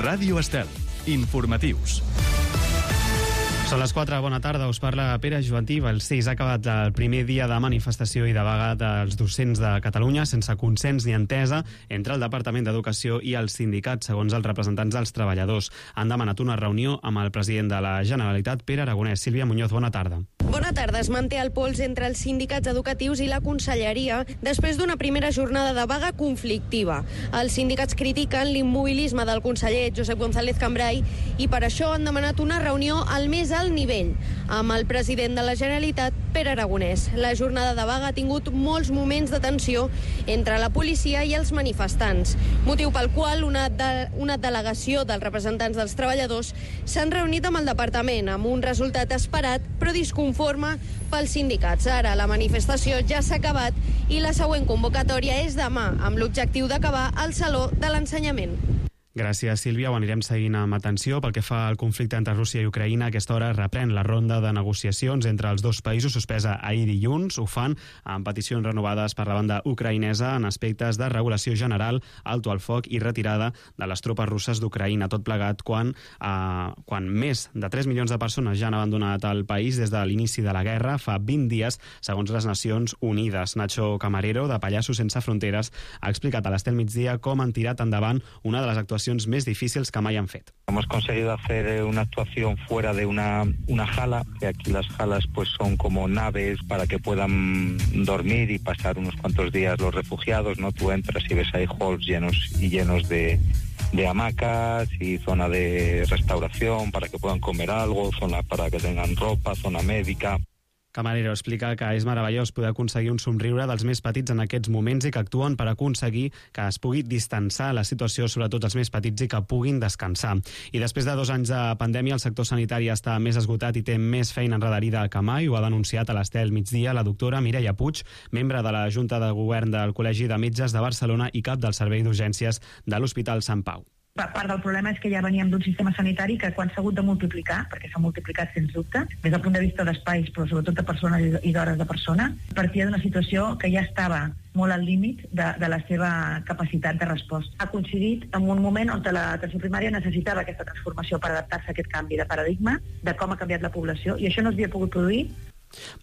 Ràdio Estel. Informatius. Són les 4, bona tarda, us parla Pere Joantí. El 6 ha acabat el primer dia de manifestació i de vaga dels docents de Catalunya sense consens ni entesa entre el Departament d'Educació i els sindicats, segons els representants dels treballadors. Han demanat una reunió amb el president de la Generalitat, Pere Aragonès. Sílvia Muñoz, bona tarda. Bona tarda. Es manté el pols entre els sindicats educatius i la conselleria després d'una primera jornada de vaga conflictiva. Els sindicats critiquen l'immobilisme del conseller Josep González Cambray i per això han demanat una reunió al més alt nivell amb el president de la Generalitat, Pere Aragonès. La jornada de vaga ha tingut molts moments de tensió entre la policia i els manifestants, motiu pel qual una delegació dels representants dels treballadors s'han reunit amb el departament amb un resultat esperat però disconforme pels sindicats. Ara la manifestació ja s'ha acabat i la següent convocatòria és demà amb l'objectiu d'acabar al Saló de l'Ensenyament. Gràcies, Sílvia. Ho anirem seguint amb atenció. Pel que fa al conflicte entre Rússia i Ucraïna, a aquesta hora reprèn la ronda de negociacions entre els dos països, suspesa ahir dilluns. Ho fan amb peticions renovades per la banda ucraïnesa en aspectes de regulació general, alto al foc i retirada de les tropes russes d'Ucraïna. Tot plegat quan més de 3 milions de persones ja han abandonat el país des de l'inici de la guerra, fa 20 dies, segons les Nacions Unides. Nacho Camarero, de Pallassos Sense Fronteres, ha explicat a l'Estel Migdia com han tirat endavant una de les actuacions més difícils que mai han fet. Hemos conseguido hacer una actuación fuera de una jala, que aquí las jalas pues son como naves para que puedan dormir y pasar unos cuantos días los refugiados, ¿no? Tú entras y ves ahí halls llenos de hamacas y zona de restauración para que puedan comer algo, zona para que tengan ropa, zona médica. Camarero explica que és meravellós poder aconseguir un somriure dels més petits en aquests moments i que actuen per aconseguir que es pugui distanciar la situació, sobretot els més petits, i que puguin descansar. I després de 2 anys de pandèmia, el sector sanitari està més esgotat i té més feina enredarida que mai. Ho ha denunciat a l'Estel Migdia la doctora Mireia Puig, membre de la Junta de Govern del Col·legi de Metges de Barcelona i cap del Servei d'Urgències de l'Hospital Sant Pau. Part del problema és que ja veníem d'un sistema sanitari que quan s'ha hagut de multiplicar, perquè s'ha multiplicat sens dubte, des del punt de vista d'espais, però sobretot de persones i d'hores de persona, partia d'una situació que ja estava molt al límit de la seva capacitat de resposta. Ha coincidit en un moment on l'atenció primària necessitava aquesta transformació per adaptar-se a aquest canvi de paradigma, de com ha canviat la població, i això no s'havia pogut produir.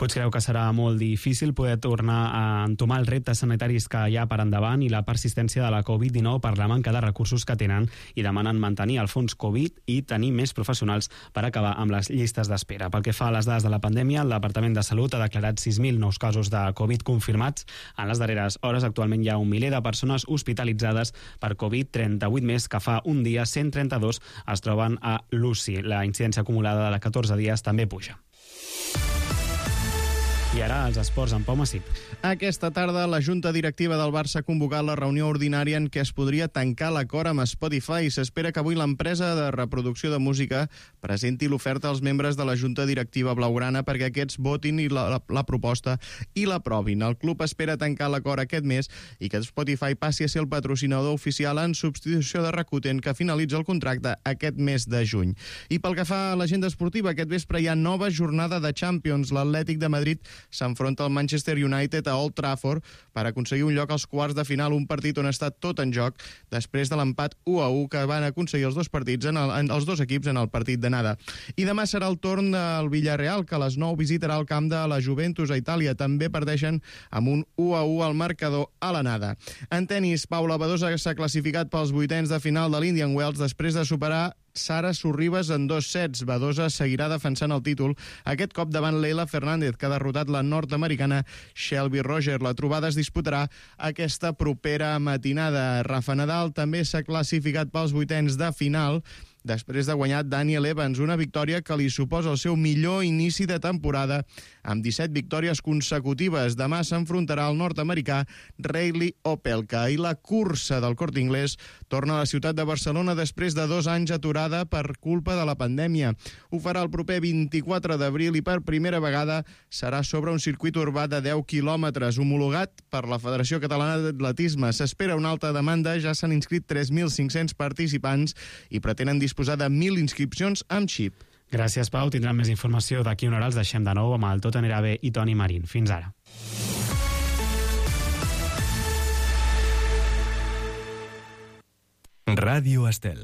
Puig creu que serà molt difícil poder tornar a entomar els reptes sanitaris que hi ha per endavant i la persistència de la Covid-19 per la manca de recursos que tenen, i demanen mantenir el fons Covid i tenir més professionals per acabar amb les llistes d'espera. Pel que fa a les dades de la pandèmia, el Departament de Salut ha declarat 6.000 nous casos de Covid confirmats. En les darreres hores, actualment hi ha 1 miler de persones hospitalitzades per Covid, 38 més que fa un dia, 132 es troben a l'UCI. La incidència acumulada de 14 dies també puja. I ara els esports amb Pau Massip. Aquesta tarda la Junta Directiva del Barça ha convocat la reunió ordinària en què es podria tancar l'acord amb Spotify. S'espera que avui l'empresa de reproducció de música presenti l'oferta als membres de la Junta Directiva blaugrana perquè aquests votin la proposta i l'aprovin. El club espera tancar l'acord aquest mes i que Spotify passi a ser el patrocinador oficial en substitució de Rakuten, que finalitza el contracte aquest mes de juny. I pel que fa a l'agenda esportiva, aquest vespre hi ha nova jornada de Champions. L'Atlètic de Madrid s'enfronta al Manchester United a Old Trafford per aconseguir un lloc als quarts de final, un partit on està tot en joc després de l'empat 1-1 que van aconseguir els dos equips en el partit d'anada. I demà serà el torn del Villarreal, que a les 9 visitarà el camp de la Juventus a Itàlia. També perdeixen amb un 1-1 al marcador a l'anada. En tenis, Paula Badosa s'ha classificat pels 8ens de final de l'Indian Wells després de superar Sara Sorribes en 2 sets. Badosa seguirà defensant el títol, aquest cop davant Leila Fernández, que ha derrotat la nord-americana Shelby Roger. La trobada es disputarà aquesta propera matinada. Rafa Nadal també s'ha classificat pels 8ens de final després de guanyar Daniel Evans, una victòria que li suposa el seu millor inici de temporada, amb 17 victòries consecutives. Demà s'enfrontarà al nord-americà Reilly Opelka. I la cursa del Corte Inglés torna a la ciutat de Barcelona després de 2 anys aturada per culpa de la pandèmia. Ho farà el proper 24 d'abril i per primera vegada serà sobre un circuit urbà de 10 quilòmetres, homologat per la Federació Catalana d'Atletisme. S'espera una alta demanda, ja s'han inscrit 3.500 participants i pretenen disposar de 1.000 inscripcions amb xip. Gràcies, Pau. Tindrem més informació d'aquí una hora. Els deixem de nou amb el Tot anirà bé i Toni Marín. Fins ara. Ràdio Estel.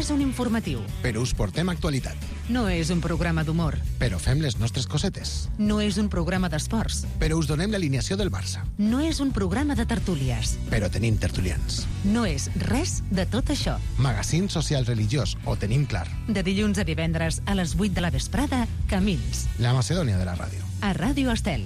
és un informatiu. Però us portem actualitat. No és un programa d'humor. Però fem les nostres cosetes. No és un programa d'esports. Però us donem l'alineació del Barça. No és un programa de tertúlies. Però tenim tertulians. No és res de tot això. Magazín social religiós, ho tenim clar. De dilluns a divendres a les 8 de la vesprada, Camins. La Macedònia de la ràdio. A Ràdio Estel.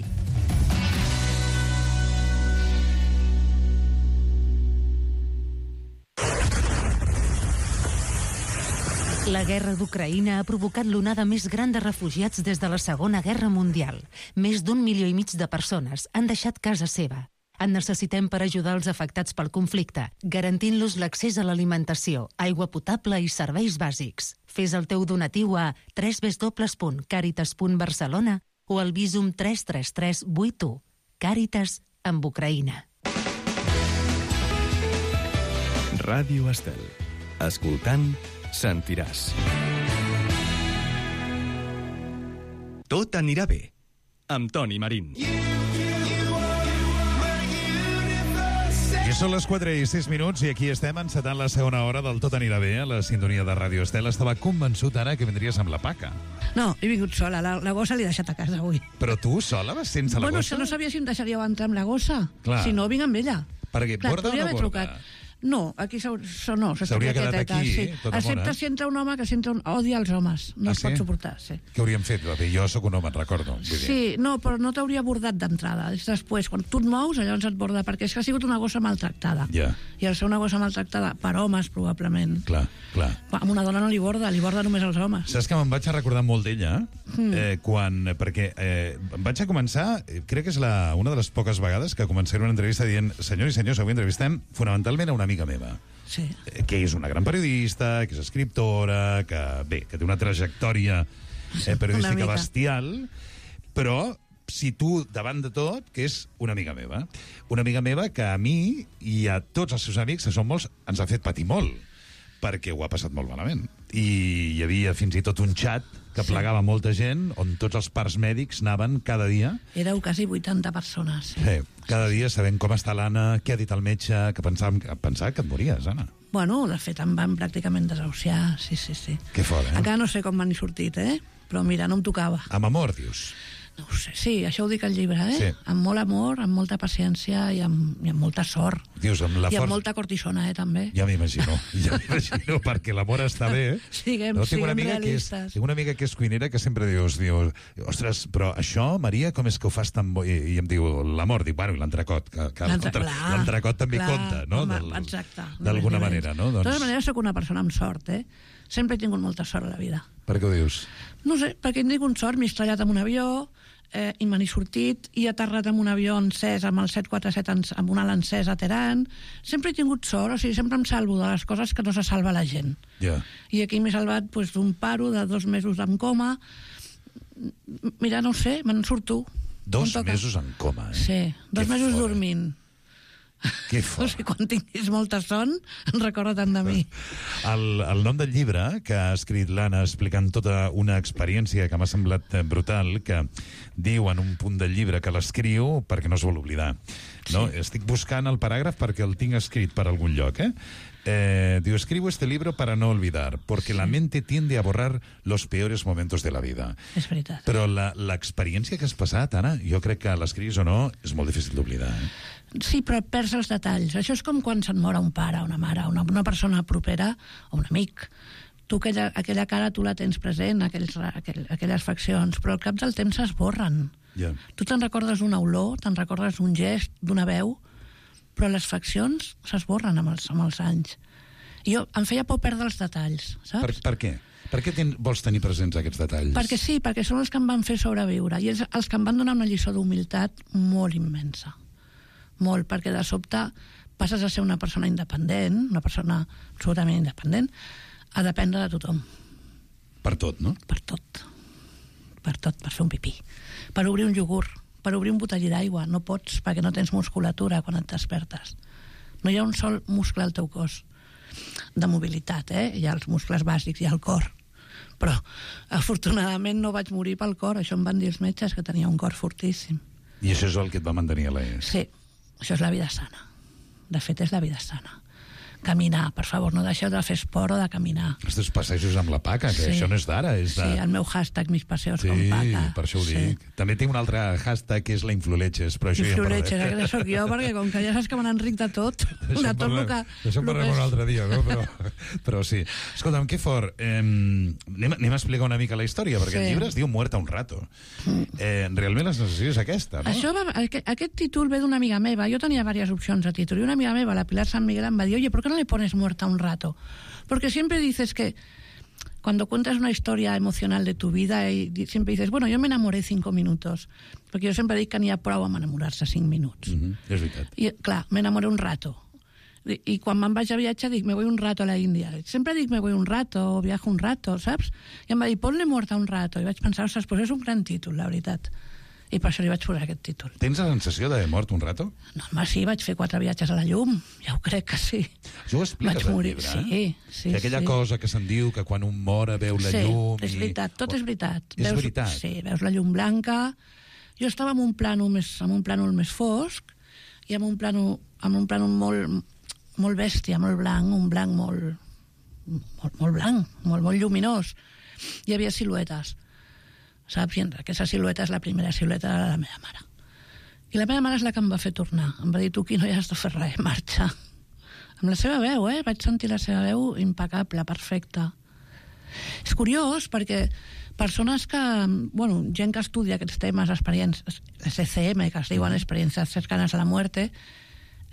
La guerra d'Ucraïna ha provocat l'onada més gran de refugiats des de la Segona Guerra Mundial. Més d'1,5 milió de persones han deixat casa seva. En necessitem per ajudar els afectats pel conflicte, garantint-los l'accés a l'alimentació, aigua potable i serveis bàsics. Fes el teu donatiu a www.caritas.barcelona o al Visum 33381. Càritas amb Ucraïna. Ràdio Estel. Escoltant, sentiràs. Tot anirà bé, amb Toni Marín. I són les 4:06 i aquí estem encetant la segona hora del Tot anirà bé a la sintonia de Ràdio Estel. Estava convençut ara que vindries amb la Paca. No, he vingut sola. La gossa l'he deixat a casa avui. Però tu sola vas sense la gossa? Bueno, no sabia si em deixaríeu entrar amb la gossa. Clar. Si no, vinc amb ella. Perquè borda o no borda? No, aquí no, s'hauria quedat aquí, sí. tota mona. Excepte si entra un home que odia els homes. No es pot suportar, sí. Què hauríem fet? Jo sóc un home, et recordo. Sí, no, però no t'hauria bordat d'entrada. És després, quan tu et mous, llavors et borda, perquè és que ha sigut una gossa maltractada. Ja. I al ser una gossa maltractada per homes, probablement. Clar. A una dona no li borda només als homes. Saps que me'n vaig a recordar molt d'ella? Perquè em vaig a començar, crec que és una de les poques vegades que començaré una entrevista dient: senyors i senyors, avui entrevistem fonamentalment a una amiga meva, sí, que és una gran periodista, que és escriptora, que té una trajectòria periodística bestial, però situ davant de tot que és una amiga meva que a mi i a tots els seus amics, que són molts, ens ha fet patir molt, perquè ho ha passat molt malament. I hi havia fins i tot un xat que plegava molta gent, on tots els parts mèdics anaven cada dia. Éreu quasi 80 persones. Sí, cada dia sabent com està l'Anna, què ha dit el metge, que pensava que et mories, Anna. Bueno, de fet, em van pràcticament desahuciar, sí. Que fort, Encara no sé com m'han sortit, però mira, no em tocava. Amb amor, dius? No ho sé, sí, això ho dic al llibre, Sí. Amb molt amor, amb molta paciència i amb molta sort. Dius, amb amb molta cortisona, també. Ja m'imagino, perquè l'amor està bé. Siguem realistes. Tinc una amiga que és cuinera que sempre dius, ostres, però això, Maria, com és que ho fas tan bo? I em diu, l'amor, dic, bueno, i l'entrecot, que l'entrecot també compta, no? Exacte. D'alguna manera, no? De totes maneres, soc una persona amb sort, Sempre he tingut molta sort a la vida. Per què ho dius? No sé, perquè he tingut sort, m'he estrellat amb un avió, i me n'he sortit, i he aterrat amb un avió encès, amb el 747 amb un ala encès a Teheran. Sempre he tingut sort, o sigui, sempre em salvo de les coses que no se salva la gent. Yeah. I aquí m'he salvat d'un paro de 2 mesos en coma. Mira, no sé, me'n surto. 2 mesos en coma, Sí, 2 mesos dormint. Que fort. O sigui, quan tinguis molta son, recorda't de mi. El nom del llibre que ha escrit l'Anna explicant tota una experiència que m'ha semblat brutal, que diu en un punt del llibre que l'escriu perquè no es vol oblidar. No? Sí. Estic buscant el paràgraf perquè el tinc escrit per algun lloc, diu, escribo este libro para no olvidar, porque la mente tiende a borrar los peores momentos de la vida. És veritat. Però l'experiència que has passat, Anna, jo crec que l'escrius o no, és molt difícil d'oblidar. Sí, però perds els detalls. Això és com quan se't mor un pare, una mare, una persona propera o un amic. Tu aquella cara tu la tens present, aquelles faccions, però al cap del temps s'esborren. Yeah. Tu te'n recordes d'una olor, te'n recordes d'un gest, d'una veu, però les faccions s'esborren amb els anys. I em feia por perdre els detalls, saps? Per què? Per què vols tenir presents aquests detalls? Perquè sí, perquè són els que em van fer sobreviure i els que em van donar una lliçó d'humilitat molt immensa. Molt, perquè de sobte passes a ser una persona independent, una persona absolutament independent, a dependre de tothom. Per tot, no? Per tot. Per fer un pipí. Per obrir un iogurt, per obrir un botellí d'aigua. No pots, perquè no tens musculatura quan et despertes. No hi ha un sol muscle al teu cos de mobilitat, Hi ha els muscles bàsics, hi ha el cor. Però, afortunadament, no vaig morir pel cor. Això em van dir els metges, que tenia un cor fortíssim. I això és el que et va mantenir a l'ES? Sí, això és la vida sana. De fet, és la vida sana. Caminar, per favor, no deixeu de fer esport o de caminar. Estos passejos amb la Paca, que això no és d'ara. Sí, el meu hashtag, mis paseos con Sí, Paca. per això ho dic. També tinc un altre hashtag que és la influletges, però això ja en parlarem. Influletges, que sóc jo, perquè com que ja saps que me n'enric de tot, de tot el que... D'això en parlarem un altre dia, no? Però sí. Escolta'm, que fort. Anem a explicar una mica la història, perquè el llibre es diu Muerta un rato. Realment la sensació és aquesta, no? Aquest títol ve d'una amiga meva. Jo tenia diverses opcions de títol, i una amiga meva, la Pilar San Miguel, em va dir, oye, ¿por qué no le pones Muerta un rato? Porque siempre dices que cuando cuentas una historia emocional de tu vida y siempre dices, bueno, yo me enamoré 5 minutos, perquè jo sempre dic que n'hi ha prou amb enamorar-se 5 minuts. És veritat. I, clar, me enamoré un rato. I quan me'n vaig a viatjar dic, me voy un rato a la Índia. Sempre dic, me voy un rato, o viajo un rato, saps? I em va dir, ponle Muerta un rato. I vaig pensar, ostres, pues és un gran títol, la veritat. I per això li vaig posar aquest títol. Tens la sensació d'haver mort un rato? No, home, sí, vaig fer 4 viatges a la llum. Ja ho crec que sí. Això ho expliques al llibre, Sí. Que aquella cosa que se'n diu que quan un mor veu la llum... Sí, és veritat, tot és veritat. És veritat? Sí, veus la llum blanca. Jo estava en un plànol més fosc i en un plànol molt bèstia, molt blanc, un blanc molt blanc, molt lluminós. Hi havia siluetes. Saps? I aquesta silueta és la primera silueta de la meva mare. I la meva mare és la que em va fer tornar. Em va dir, tu aquí no hi has de fer res, marxa. Amb la seva veu, Vaig sentir la seva veu impecable, perfecta. És curiós perquè persones que... Bueno, gent que estudia aquests temes, experiències, les ECM, que es diuen experiències cercanes a la muerte,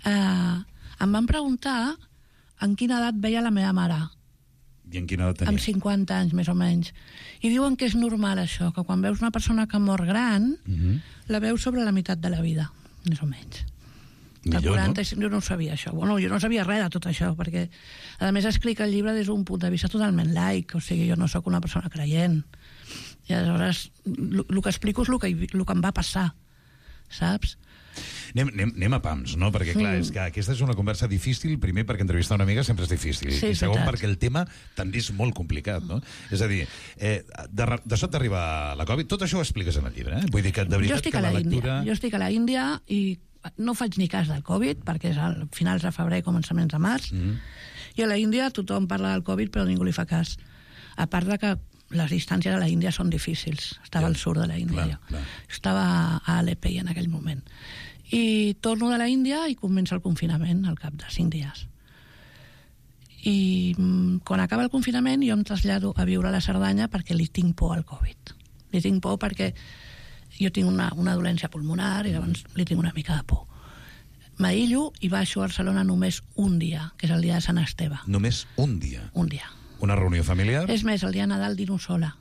em van preguntar en quina edat veia la meva mare. I en quina edat tenia? Amb 50 anys, més o menys. I diuen que és normal això, que quan veus una persona que mor gran, la veus sobre la meitat de la vida, més o menys. Millor, 40, no? Jo no ho sabia, això. Bueno, jo no sabia res de tot això, perquè, a més, explica el llibre des d'un punt de vista totalment laic, o sigui, jo no sóc una persona creient. I aleshores, el que explico és el que em va passar, saps? Anem a pams, no? Perquè, clar, és que aquesta és una conversa difícil, primer perquè entrevistar una amiga sempre és difícil, i segon perquè el tema també és molt complicat, no? És a dir, de sobte arriba la Covid, tot això ho expliques en el llibre, Vull dir que, de veritat, que la lectura... Jo estic a la Índia i no faig ni cas del Covid, perquè és a finals de febrer, començaments de març, i a la Índia tothom parla del Covid, però ningú li fa cas. A part de que les distàncies a la Índia són difícils. Estava al sud de la Índia, jo. Estava a Alepi en aquell moment. I torno de la Índia i comença el confinament al cap de 5 dies. I quan acaba el confinament jo em trasllado a viure a la Cerdanya perquè li tinc por al Covid. Li tinc por perquè jo tinc una dolència pulmonar i llavors li tinc una mica de por. M'aïllo i baixo a Barcelona només un dia, que és el dia de Sant Esteve. Només un dia? Un dia. Una reunió familiar? És més, el dia de Nadal dino sola,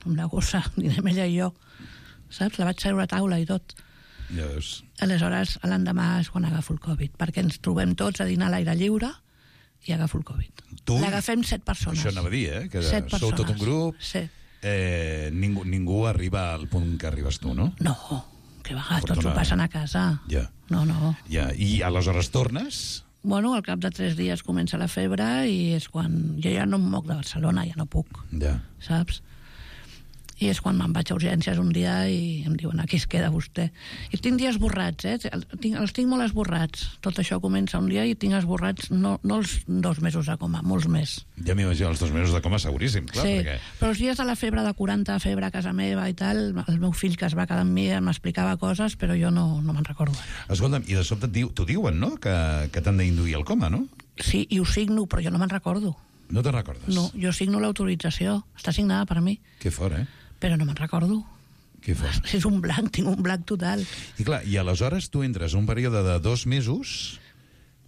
amb la gossa, dinem ella i jo. Saps? La vaig seure a taula i tot. Ja veus. Aleshores, l'endemà és quan agafo el Covid, perquè ens trobem tots a dinar a l'aire lliure i agafo el Covid. L'agafem 7 persones. Això anava a dir, que sou tot un grup. Sí. Ningú arriba al punt que arribes tu, no? No, que va, tots ho passen a casa. Ja. No. Ja. I aleshores tornes? Bueno, al cap de 3 dies comença la febre i és quan... Jo ja no em moc de Barcelona, ja no puc. Ja. Saps? I és quan me'n vaig a urgències un dia i em diuen, aquí es queda vostè. I tinc dies esborrats, els tinc molt esborrats. Tot això comença un dia i tinc esborrats no els 2 mesos de coma, molts més. Ja m'imagino, els 2 mesos de coma seguríssim, clar. Sí, perquè... però els dies de la febre de 40, febre a casa meva i tal, el meu fill que es va quedar amb mi m'explicava coses, però jo no me'n recordo. Escolta'm, i de sobte t'ho diuen, no?, que t'han d'induir al coma, no? Sí, i ho signo, però jo no me'n recordo. No te'n recordes? No, jo signo l'autorització, està signada per mi. Que fort, Però no me'n recordo. Que fort. És un blanc, tinc un blanc total. I clar, i aleshores tu entres un període de 2 mesos...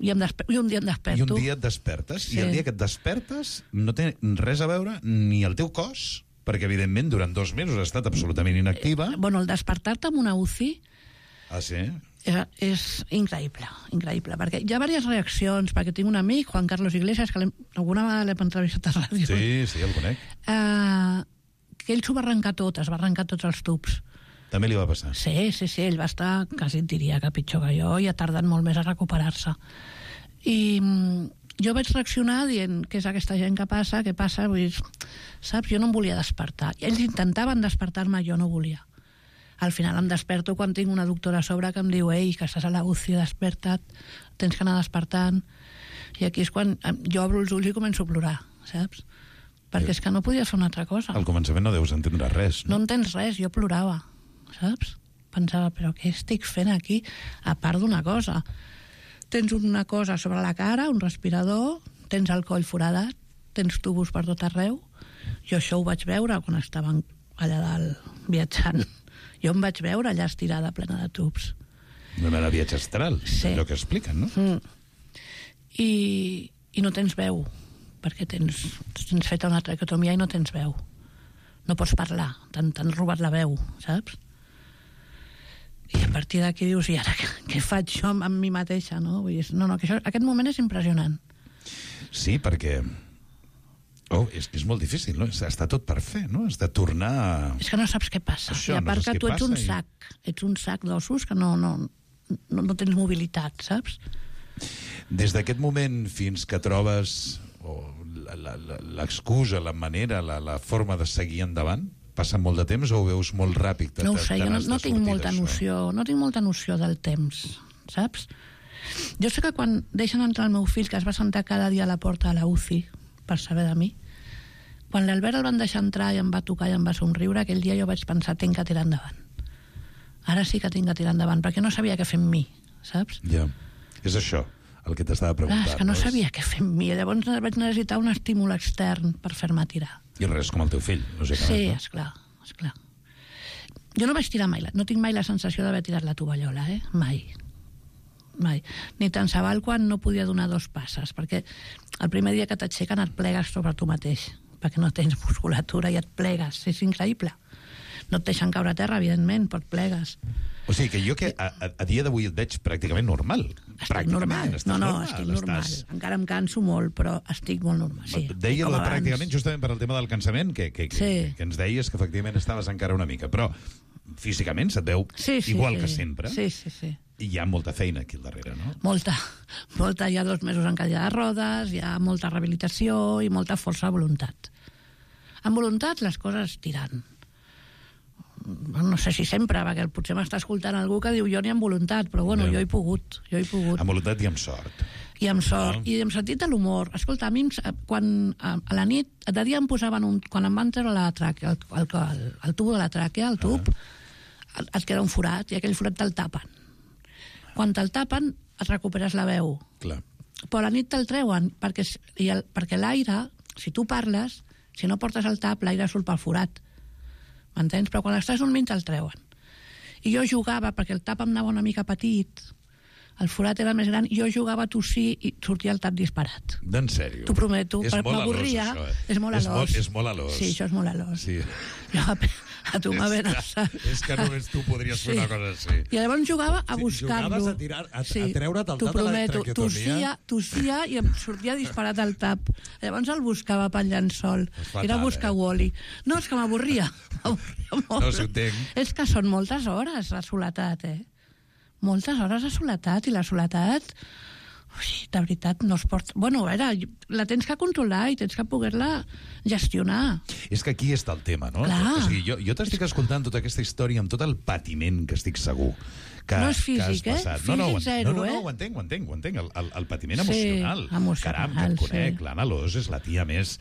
I un dia em desperto. I un dia et despertes, sí. I el dia que et despertes no té res a veure ni el teu cos, perquè evidentment durant 2 mesos has estat absolutament inactiva. Bueno, el despertar-te amb una UCI... Ah, sí? És increïble, perquè hi ha diverses reaccions, perquè tinc un amic, Juan Carlos Iglesias, que alguna vegada l'he entrevistat a ràdio. Sí, el conec. Que ell s'ho va arrencar tot, es va arrencar tots els tubs. També li va passar? Sí, ell va estar, quasi et diria que pitjor que jo, i ha tardat molt més a recuperar-se. I jo vaig reaccionar dient què és aquesta gent que passa, què passa, vull dir, saps, jo no em volia despertar. I ells intentaven despertar-me, jo no volia. Al final em desperto quan tinc una doctora a sobre que em diu ei, que estàs a la UCI, desperta't, tens que anar despertant. I aquí és quan jo obro els ulls i començo a plorar, saps? Perquè és que no podia fer una altra cosa. Al començament no deus entendre res, no? No entens res, jo plorava, saps? Pensava, però què estic fent aquí? A part d'una cosa. Tens una cosa sobre la cara, un respirador, tens el coll foradat, tens tubos per tot arreu. Jo això ho vaig veure quan estaven allà dalt viatjant. Jo em vaig veure allà estirada plena de tubs. Una mena de viatge astral, sí. Allò que expliquen, no? I no tens veu, perquè tens feta una traqueotomia i no tens veu. No pots parlar, t'han robat la veu, saps? I a partir d'aquí dius, i ara què faig jo amb mi mateixa, no? Vull dir, no, que aquest moment és impressionant. Sí, perquè... és molt difícil, no? Està tot per fer, no? Has de tornar... És que no saps què passa. I a part que tu ets un sac, ets un sac d'ossos que no tens mobilitat, saps? Des d'aquest moment fins que trobes l'excusa, la manera, la forma de seguir endavant, passa molt de temps o ho veus molt ràpid? No ho sé, jo no tinc molta noció del temps, saps? Jo sé que quan deixen entrar el meu fill, que es va sentar cada dia a la porta de la UCI per saber de mi, quan l'Albert el van deixar entrar i em va tocar i em va somriure, aquell dia jo vaig pensar, tinc que tirar endavant. Ara sí que tinc que tirar endavant, perquè no sabia què fer amb mi, saps? Ja, és això el que t'estava preguntant. És que no sabia què fer amb mi, llavors vaig necessitar un estímul extern per fer-me tirar. I res com el teu fill, lògicament. Sí, esclar. Jo no vaig tirar mai, no tinc mai la sensació d'haver tirat la tovallola, mai. Ni tant se val quan no podia donar 2 passes, perquè el primer dia que t'aixequen et plegues sobre tu mateix, perquè no tens musculatura i et plegues, és increïble. No et deixen caure a terra, evidentment, però et plegues. O sigui que jo a dia d'avui et veig pràcticament normal. Estic normal. Estic normal. Encara em canso molt, però estic molt normal. Sí, deia pràcticament justament per al tema del cansament, que ens deies que efectivament estaves encara una mica, però físicament se't veu igual que sempre. Sí. I hi ha molta feina aquí al darrere, no? Molta. Hi ha 2 mesos en cadira de rodes, hi ha molta rehabilitació i molta força de voluntat. Amb voluntat les coses tiran. No sé si sempre, perquè potser m'està escoltant algú que diu jo ni amb voluntat, però bueno, jo he pogut. Amb voluntat i amb sort. I amb sort, i amb sentit de l'humor. Escolta, a mi, quan a la nit, de dia em posaven quan em van treure la tràquea, el tubo de la tràquea, el tub, et queda un forat, i aquell forat te'l tapen. Quan te'l tapen, et recuperes la veu. Clar. Però a la nit te'l treuen, perquè l'aire, si tu parles, si no portes el tap, l'aire surt pel forat. M'entens? Però quan estàs dormint te'l treuen. I jo jugava, perquè el tap em anava una mica petit, el forat era més gran, jo jugava a tossir i sortia el tap disparat. En sèrio? T'ho prometo. És molt alós, això, És molt alós. És molt alós. Sí, això és molt alós. Sí. A tu m'haver És que només tu podries fer una cosa així. I llavors jugava a buscar-lo. Jugaves a treure't el tap de la traqueotomia. Tossia i em sortia disparat el tap. Llavors el buscava pel llençol. Era buscar Wall-E. No, és que m'avorria. No, si ho entenc. És que són moltes hores de soledat, Moltes hores de soledat, i la soledat, de veritat, no es pot... Bueno, a veure, la tens que controlar i tens que poder-la gestionar. És que aquí està el tema, no? Clar. O sigui, jo t'estic escoltant tota aquesta història amb tot el patiment que estic segur que no és físic, que has passat. Físic zero, No, ho entenc. El patiment emocional. Caram, que et conec. L'Anna Alòs és la tia més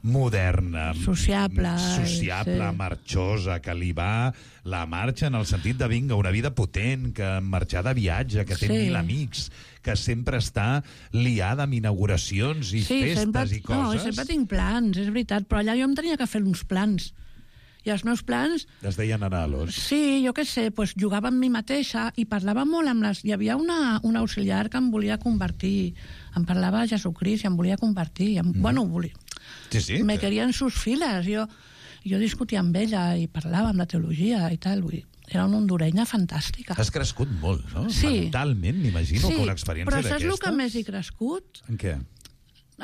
moderna, sociable, marxosa, que li va la marxa en el sentit de vinga, una vida potent, que marxar de viatge, que té 1000 amics, que sempre està liada amb inauguracions i festes i coses. No, sempre tinc plans, és veritat, però allà jo em tenia que fer uns plans. I els meus plans... Es deien anar-los. Sí, jo què sé, doncs jugava amb mi mateixa i parlava molt amb les... Hi havia una auxiliar que em volia convertir, em parlava de Jesucrist i em volia convertir. Bueno, volia... Sí. Me quería en sus files. Jo discutia amb ella i parlàvem de teologia i tal. Era una hondurenya fantàstica. Has crescut molt, no? Sí. Mentalment, m'imagino, que una experiència d'aquestes... Però saps el que més he crescut? En què?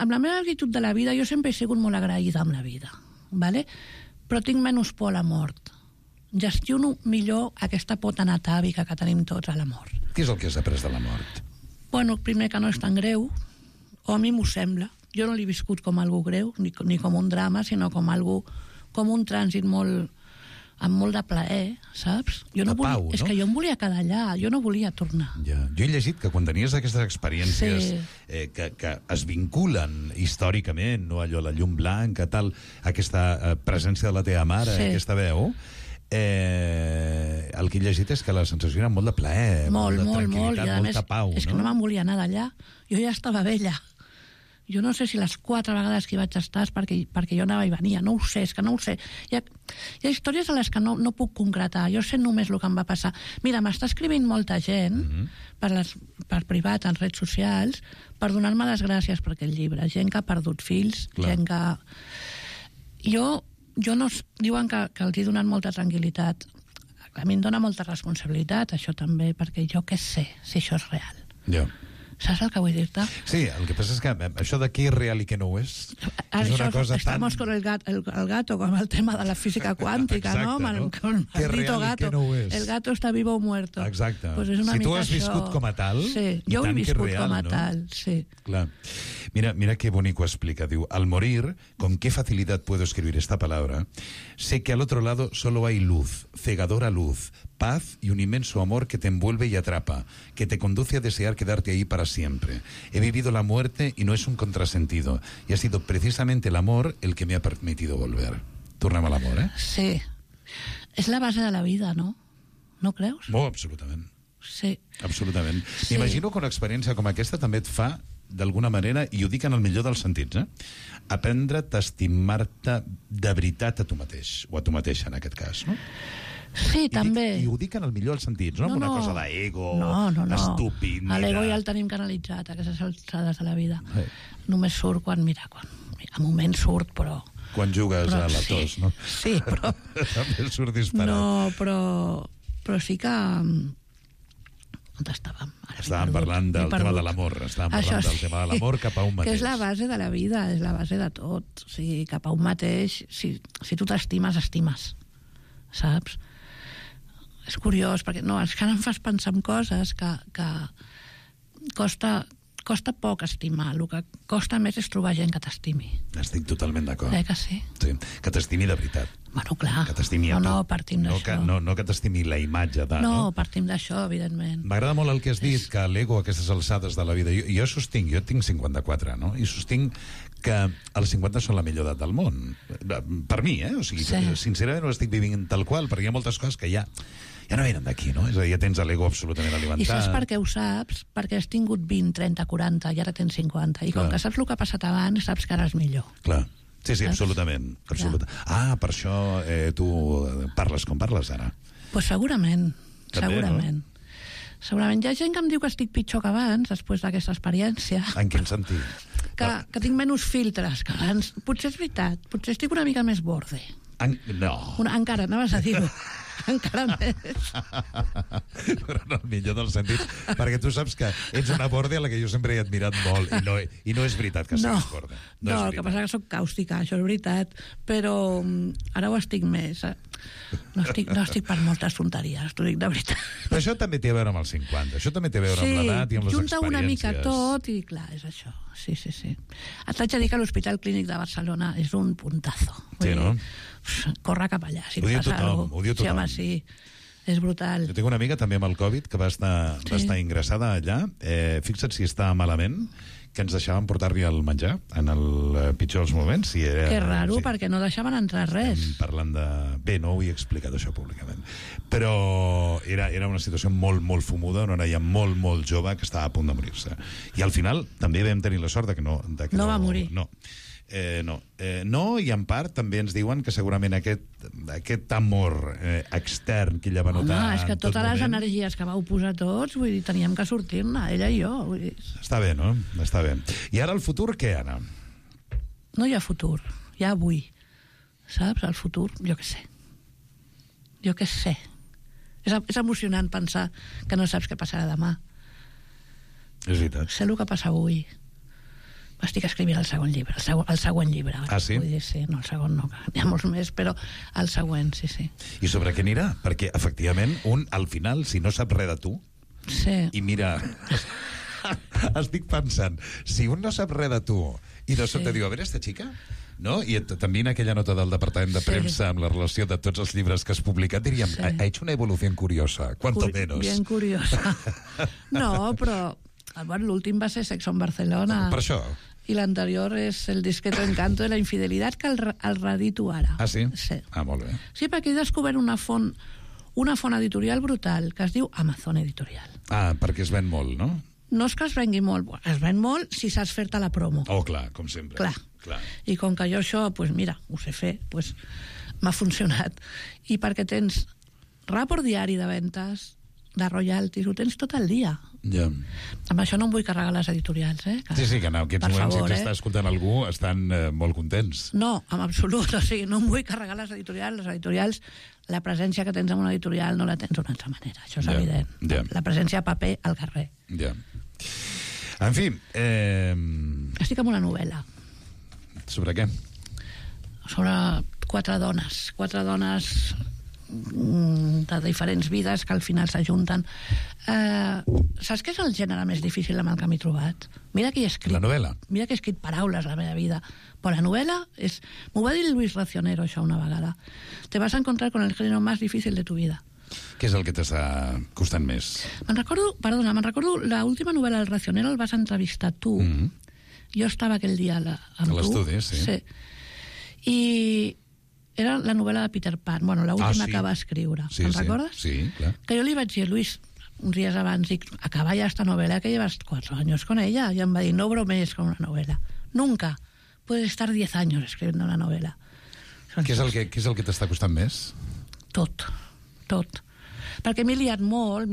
Amb la meva actitud de la vida, jo sempre he sigut molt agraïda amb la vida, ¿vale? Però tinc menys por a la mort. Gestiono millor aquesta por tan atàvica que tenim tots a la mort. Què és el que has après de la mort? Bueno, primer que no és tan greu, o a mi m'ho sembla. Jo no l'he viscut com algo greu, ni com un drama, sinó com un trànsit molt, amb molt de plaer, saps? Jo no volia, pau, no? És que jo em volia quedar allà, jo no volia tornar. Ja. Jo he llegit que quan tenies aquestes experiències que es vinculen històricament, no, allò, la llum blanca, tal, aquesta presència de la teva mare, aquesta veu, el que he llegit és que la sensació era molt de plaer, molt de tranquil·litat, molta pau. És que no me'n volia anar d'allà. Jo ja estava vella. Jo no sé si les 4 vegades que hi vaig estar és perquè jo anava i venia. No ho sé, és que no ho sé. Hi ha històries a les que no puc concretar. Jo sé només el que em va passar. Mira, m'està escrivint molta gent per privat, en redes socials, per donar-me les gràcies per aquest llibre. Gent que ha perdut fills, gent que... Jo no... Diuen que els he donat molta tranquil·litat. A mi em dona molta responsabilitat, això també, perquè jo què sé si això és real. Ja. ¿Sabes el que vull dir-te? Sí, el que passa és que això de què és real i què no ho és una cosa estamos con el gato, con el tema de la física cuántica, exacte, ¿no? Con el maldito gato. No el gato está vivo o muerto. Exacte. Pues és una si tu mica has viscut això... com a tal... Sí, jo ho he viscut real, com a tal, sí. Clar. Mira qué bonito explica. Diu, al morir, con qué facilidad puedo escribir esta palabra, sé que al otro lado solo hay luz, cegadora luz, paz y un inmenso amor que te envuelve y atrapa, que te conduce a desear quedarte ahí para siempre. He vivido la muerte y no es un contrasentido, y ha sido precisamente el amor el que me ha permitido volver. Tornem a l'amor, eh? Sí. És la base de la vida, no? No creus? Oh, absolutament. Sí. Absolutament. Sí. M'imagino que una experiència com aquesta també et fa, d'alguna manera, i ho dic en el millor dels sentits, aprendre't a estimar-te de veritat a tu mateix, o a tu mateixa, en aquest cas, no? Sí, també. I ho dic en el millor dels sentits, no? Una cosa d'ego, estúpid... L'ego ja el tenim canalitzat, a aquestes alçades de la vida. Només surt quan, a moments surt, però... Quan jugues a la tos, no? Sí, però... també surt disparat. No, però sí que... On estàvem? Estàvem parlant del tema de l'amor. Estàvem parlant del tema de l'amor cap a un mateix. Que és la base de la vida, és la base de tot. O sigui, cap a un mateix, si tu t'estimes, estimes. Saps? És curiós, perquè és que ara em fas pensar en coses que costa poc estimar. El que costa més és trobar gent que t'estimi. Estic totalment d'acord. Que sí? Sí, que t'estimi de veritat. Bueno, clar. Que t'estimi a tu. No, partim d'això. No que t'estimi la imatge de... No, partim d'això, evidentment. M'agrada molt el que has dit, que l'ego a aquestes alçades de la vida... Jo sostinc, jo tinc 54, no? I sostinc que els 50 són la millor edat del món. Per mi, O sigui, sincerament ho estic vivint tal qual, perquè hi ha moltes coses que ja no venen d'aquí, no? És a dir, ja tens l'ego absolutament alimentat. I saps per què ho saps? Perquè has tingut 20, 30, 40 i ara tens 50. I com que saps el que ha passat abans, saps que ara és millor. Clar. Sí, absolutament. Ah, per això tu parles com parles ara. Pues segurament. També, segurament. No? Segurament. Hi ha gent que em diu que estic pitjor que abans, després d'aquesta experiència. En quin sentit? Que tinc menys filtres que abans. Potser és veritat. Potser estic una mica més borde. No. Encara, anaves a dir-ho. Encara més. Però en el millor dels sentits, perquè tu saps que ets una borde a la que jo sempre he admirat molt, i no és veritat que siguis borde. No, el que passa que soc càustica, això és veritat, però ara ho estic més. No estic per moltes tonteries, t'ho dic de veritat. Però això també té a veure amb els 50, això també té a veure amb l'edat i amb les experiències. Junta una mica tot i clar, és això. Sí. Et vaig a dir que l'Hospital Clínic de Barcelona és un puntazo. Sí, no? Corre cap allà, si et passa alguna cosa. Ho diu tothom. Sí, home, sí. És brutal. Jo tinc una amiga també amb el Covid que va estar ingressada allà. Fixa't si està malament, que ens deixaven portar-li el menjar en el pitjor dels moments. Que raro, perquè no deixaven entrar res. Estem parlant de... Bé, no ho he explicat això públicament. Però era una situació molt, molt fumuda, una noia molt, molt jove que estava a punt de morir-se. I al final també vam tenir la sort de que no... No va morir. No, i en part també ens diuen que segurament aquest amor extern que ella va notar... Home, és que totes les energies que vau posar tots, vull dir, teníem que sortir-ne, ella i jo. Vull dir. Està bé, no? Està bé. I ara el futur, què, Anna? No hi ha futur, hi ha avui. Saps? El futur, jo què sé. És emocionant pensar que no saps què passarà demà. És veritat. Sé el que passa avui. Estic escrivint el següent llibre, el següent llibre. Ah, sí? Vull dir, sí, no, el segon no, n'hi ha molts més, però el següent, sí. I sobre què anirà? Perquè, efectivament, al final, si no sap res de tu, i mira, estic pensant, si un no sap res de tu, i de sobte diu, a veure, esta chica, no? I també en aquella nota del departament de premsa amb la relació de tots els llibres que has publicat diríem, ha hecho una evolución curiosa, cuanto menos. Bien curiosa. No, però l'últim va ser Sexo en Barcelona. Per això. I l'anterior és El discreto encanto de la infidelitat, que el redito ara. Ah, sí? Sí. Ah, molt bé. Sí, perquè he descobert una font editorial brutal que es diu Amazon Editorial. Ah, perquè es ven molt, no? No és que es vengui molt, es ven molt si saps fer-te la promo. Oh, clar, com sempre. Clar. I com que jo això, doncs mira, ho sé fer, doncs m'ha funcionat. I perquè tens rapport diari de ventes, de royalties, ho tens tot el dia. Ja. Amb això no em vull carregar les editorials, Que sí, que en aquests moments, si t'està escoltant algú, estan molt contents. No, en absolut, o sigui, no em vull carregar les editorials, la presència que tens en una editorial no la tens d'una altra manera, això és evident. La presència a paper al carrer. Ja. En fi... Estic amb una novel·la. Sobre què? Sobre 4 dones de diferents vides que al final s'ajunten. Saps què és el gènere més difícil amb el que m'he trobat? Mira que he escrit... La novel·la? Mira que he escrit paraules a la meva vida. Però la novel·la és... M'ho va dir Luis Racionero, això, una vegada. Te vas a encontrar con el género más difícil de tu vida. Què és el que t'està costant més? Me'n recordo l'última novel·la del Racionero, el vas entrevistar tu. Jo estava aquell dia amb tu. A l'estudi, sí. I era la novel·la de Peter Pan, l'última que va escriure. Te'n recordes? Sí, clar. Que jo li vaig dir, Luis, uns dies abans, dic, acaba ya esta novela que llevas 4 años con ella. I em va dir, no bromees con una novela. Nunca. Puedes estar 10 años escribiendo una novela. Què és el que t'està costant més? Tot. Perquè m'he liat molt,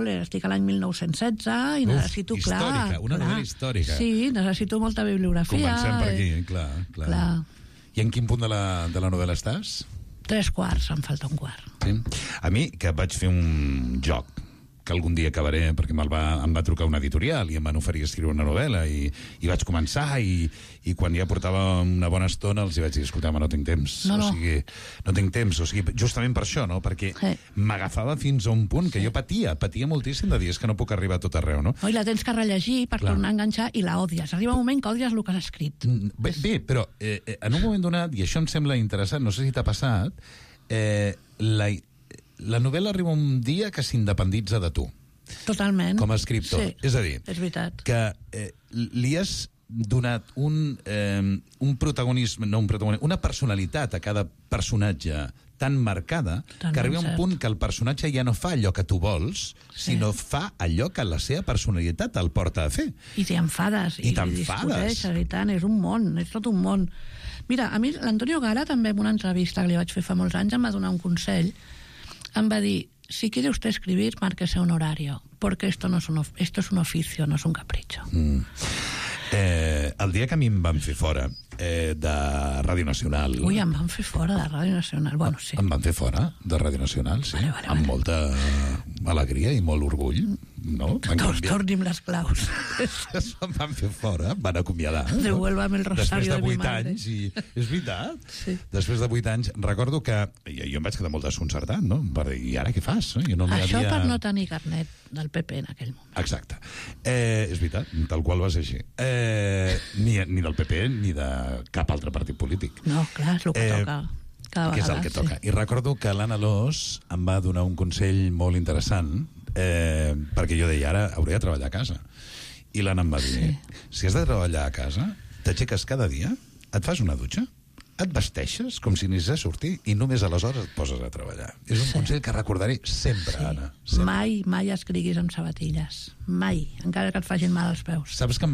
estic a l'any 1916 i necessito, històrica, una novel·la històrica. Sí, necessito molta bibliografia. Comencem per aquí, clar. I en quin punt de la novel·la estàs? 3/4, em falta un quart. Sí? A mi, que vaig fer un joc que algun dia acabaré, perquè em va trucar una editorial i em van oferir escriure una novel·la i vaig començar i quan ja portava una bona estona els vaig dir, escolta'm, no tinc temps. O sigui, no tinc temps, o sigui, justament per això, no? Perquè m'agafava fins a un punt que jo patia moltíssim de dir, és que no puc arribar a tot arreu, no? I la tens que rellegir per tornar a enganxar i la odies. Arriba un moment que odies el que has escrit. Bé, però en un moment donat, i això em sembla interessant, no sé si t'ha passat, la novel·la arriba un dia que s'independitza de tu. Totalment. Com a escriptor. Sí, és a dir, és veritat. Que li has donat un protagonisme, una personalitat a cada personatge tan marcada que arriba un punt que el personatge ja no fa allò que tu vols, sinó fa allò que la seva personalitat el porta a fer. I t'enfades. I discuteixes, i tant, és un món, és tot un món. Mira, a mi l'Antonio Gala també en una entrevista que li vaig fer fa molts anys em va donar un consell. Em va dir, si quiere usted escribir, márquese un horario, porque esto es un oficio, no es un capricho. El dia que a mi em van fer fora de Ràdio Nacional... Ui, em van fer fora de Ràdio Nacional, bueno, sí. Em van fer fora de Ràdio Nacional, sí, amb molta alegria i molt orgull, no? Torni'm les claus. Em van fer fora, van acomiadar. Devuélvame el rosario de mi madre. Després de 8 anys, i és veritat. Sí. Després de 8 anys, recordo que jo em vaig quedar molt desconcertat, no? I ara què fas? Això per no tenir carnet del PP en aquell moment. Exacte. És veritat, tal qual va ser així. Ni del PP ni de cap altre partit polític. No, clar, és el que toca. Que és el que toca. I recordo que l'Anna Alòs em va donar un consell molt interessant, perquè jo deia, ara hauré de treballar a casa. I l'Anna em va dir, si has de treballar a casa, t'aixeques cada dia, et fas una dutxa, et vesteixes com si anessis a sortir i només aleshores et poses a treballar. És un consell que recordaré sempre, Anna. Sempre. Mai escriguis amb sabatilles. Mai, encara que et facin mal als peus. Saps que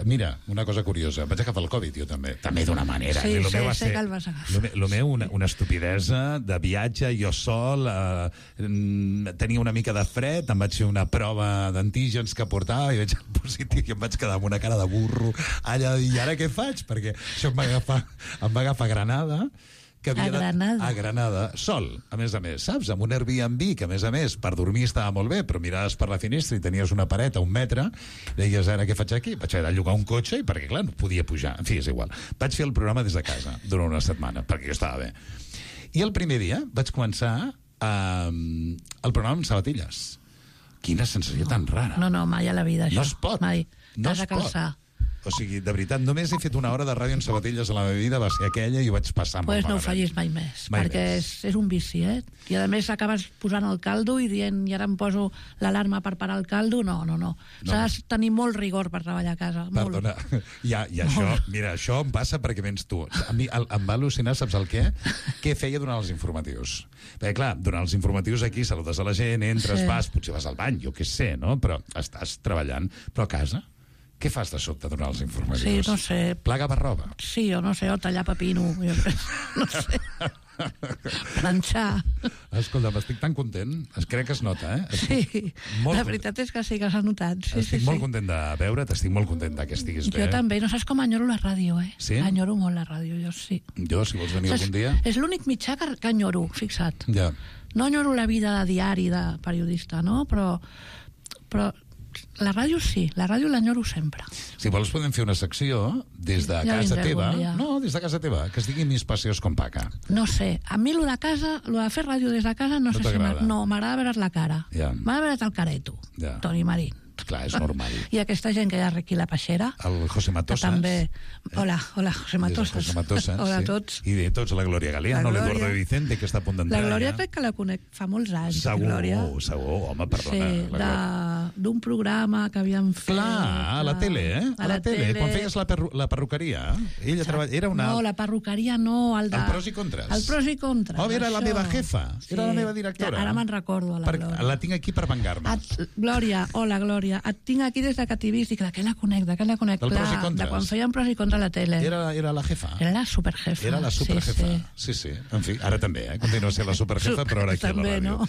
mira, una cosa curiosa, vaig agafar el Covid jo també d'una manera. Sí, sé que el vas agafar. Lo meu, una estupidesa de viatge, jo sol, tenia una mica de fred, em vaig fer una prova d'antígens que portava i vaig al positiu i em vaig quedar amb una cara de burro allà, i ara què faig? Perquè això em va agafar a Granada, a Granada, sol, a més, saps? Amb un Airbnb, que a més, per dormir estava molt bé, però miraves per la finestra i tenies una paret a 1 metre, deies, ara què faig aquí? Vaig haver de llogar un cotxe, i perquè, clar, no podia pujar. En fi, és igual. Vaig fer el programa des de casa, durant una setmana, perquè jo estava bé. I el primer dia vaig començar el programa amb sabatilles. Quina sensació tan rara. No, mai a la vida, això. No es pot. Mai. T'has de calçar. O sigui, de veritat, només he fet una hora de ràdio en sabatilles a la meva vida, va ser aquella i ho vaig passar molt malament. Pues no ho malament. fallis mai més, perquè és un vici, I a més acabes posant el caldo i dient, i ara em poso l'alarma per parar el caldo. No. S'ha de tenir molt rigor per treballar a casa. Perdona, i això, mira, això em passa perquè vens tu. A mi em va al·lucinar, saps el què? Què feia durant els informatius? Perquè, clar, durant els informatius aquí saludes a la gent, entres, vas, potser vas al bany, jo què sé, no? Però estàs treballant. Però a casa, què fas de sobte durant els informatius? Sí, no sé. Plaga per roba? Sí, o no sé, o tallar pepino. No sé. Planxar. Escolta, estic tan content. Crec que es nota, Sí, la veritat és que sí que s'ha notat. Estic molt content de veure't, estic molt content que estiguis bé. Jo també, no saps com enyoro la ràdio, Sí? Enyoro molt la ràdio, jo sí. Jo, si vols venir algun dia... És l'únic mitjà que enyoro, fixa't. Ja. No enyoro la vida de diari de periodista, no? Però la ràdio sí, la ràdio l'enyoro sempre. Si vols podem fer una secció des de casa teva. No, des de casa teva, que es digui Mis passeos con Paca. No sé, a mi lo de casa, lo de fer ràdio des de casa, no sé si m'agrada veure's la cara. M'agrada veure's el careto, Toni Marín. Clar, és normal. I aquesta gent que hi ha aquí a la Peixera. El José Matosas. També. Hola, José Matosas. Hola a tots. I de tots la Glòria Galeano, l'Eduardo de Vicente, que està a punt d'entrar. La Glòria crec que la conec fa molts anys. Segur, home, perdona. Sí, d'un programa que havíem fet. Clar, a la tele, A la tele, quan feies la perruqueria. Ella era una... No, la perruqueria no, el pros i contres. El pros i contres. Oh, era la meva jefa, era la meva directora. Ara me'n recordo, la Glòria. La tinc aquí per vengar-me. Glòria, hola, Glòria. Et tinc aquí des de que t'hi vist, dic, de què la conec? Del pros i contres. De quan feien pros i contres a la tele. Era la jefa. Era la superjefa. Era la superjefa. Sí. En fi, ara també, continua sent la superjefa, però ara aquí a la ràdio.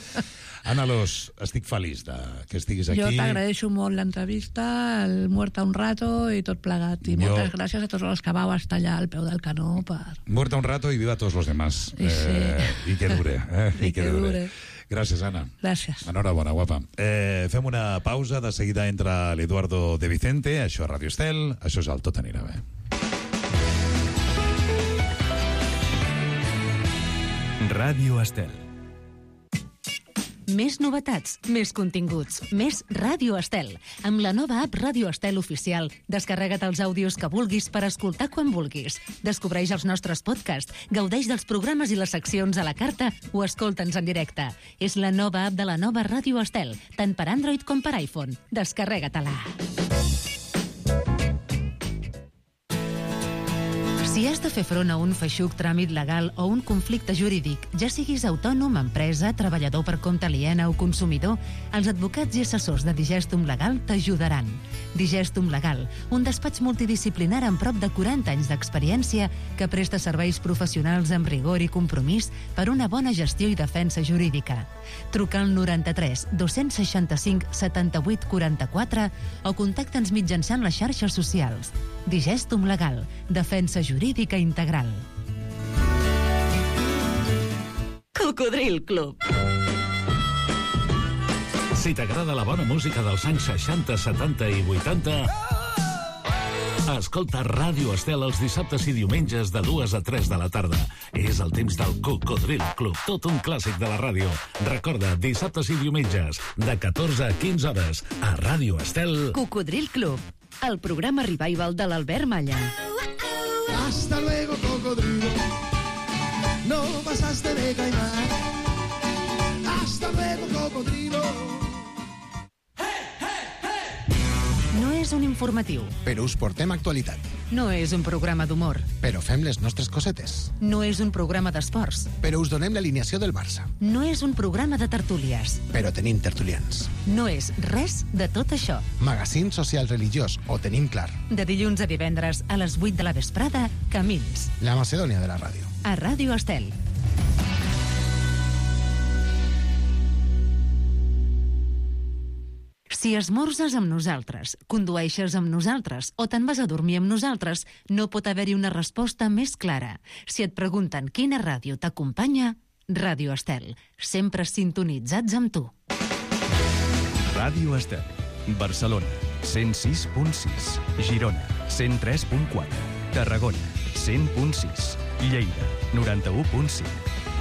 Ana Alòs, estic feliç que estiguis aquí. Jo t'agraeixo molt l'entrevista, el Muerta un rato i tot plegat. I moltes gràcies a tots els que vau estar allà al peu del canó per... Muerta un rato y viva todos los demás. I que dure. I que dure. Gràcies, Anna. Gràcies. Enhorabona, guapa. Fem una pausa, de seguida entra l'Eduardo de Vicente, això és Ràdio Estel, això és el Tot anirà bé. Ràdio Estel. Més novetats, més continguts, més Ràdio Estel. Amb la nova app Ràdio Estel Oficial, descarrega't els àudios que vulguis per escoltar quan vulguis. Descobreix els nostres podcasts, gaudeix dels programes i les seccions a la carta o escolta'ns en directe. És la nova app de la nova Ràdio Estel, tant per Android com per iPhone. Descarrega-te-la. Si has de fer front a un feixuc tràmit legal o un conflicte jurídic, ja siguis autònom, empresa, treballador per compte aliena o consumidor, els advocats i assessors de Digestum Legal t'ajudaran. Digestum Legal, un despatx multidisciplinar amb prop de 40 anys d'experiència que presta serveis professionals amb rigor i compromís per una bona gestió i defensa jurídica. Truca al 93 265 78 44 o contacta'ns mitjançant les xarxes socials. Digestum Legal, defensa jurídica integral. Cocodril Club. Si t'agrada la bona música dels anys 60, 70 i 80, escolta Ràdio Estel els dissabtes i diumenges de 2 a 3 de la tarda. És el temps del Cocodril Club, tot un clàssic de la ràdio. Recorda, dissabtes i diumenges, de 14 a 15 hores, a Ràdio Estel. Cocodril Club, el programa revival de l'Albert Malla. Hasta luego, cocodrilo. No pasaste de caimán. Hasta luego, cocodrilo. No és un informatiu. Però us portem actualitat. No és un programa d'humor. Però fem les nostres cosetes. No és un programa d'esports. Però us donem l'alineació del Barça. No és un programa de tertúlies. Però tenim tertulians. No és res de tot això. Magazín social religiós, ho tenim clar. De dilluns a divendres a les 8 de la vesprada, Camins. La Macedònia de la ràdio. A Ràdio Estel. Si esmorzes amb nosaltres, condueixes amb nosaltres o te'n vas a dormir amb nosaltres, no pot haver-hi una resposta més clara. Si et pregunten quina ràdio t'acompanya, Ràdio Estel. Sempre sintonitzats amb tu. Ràdio Estel. Barcelona, 106.6. Girona, 103.4. Tarragona, 100.6. Lleida, 91.5.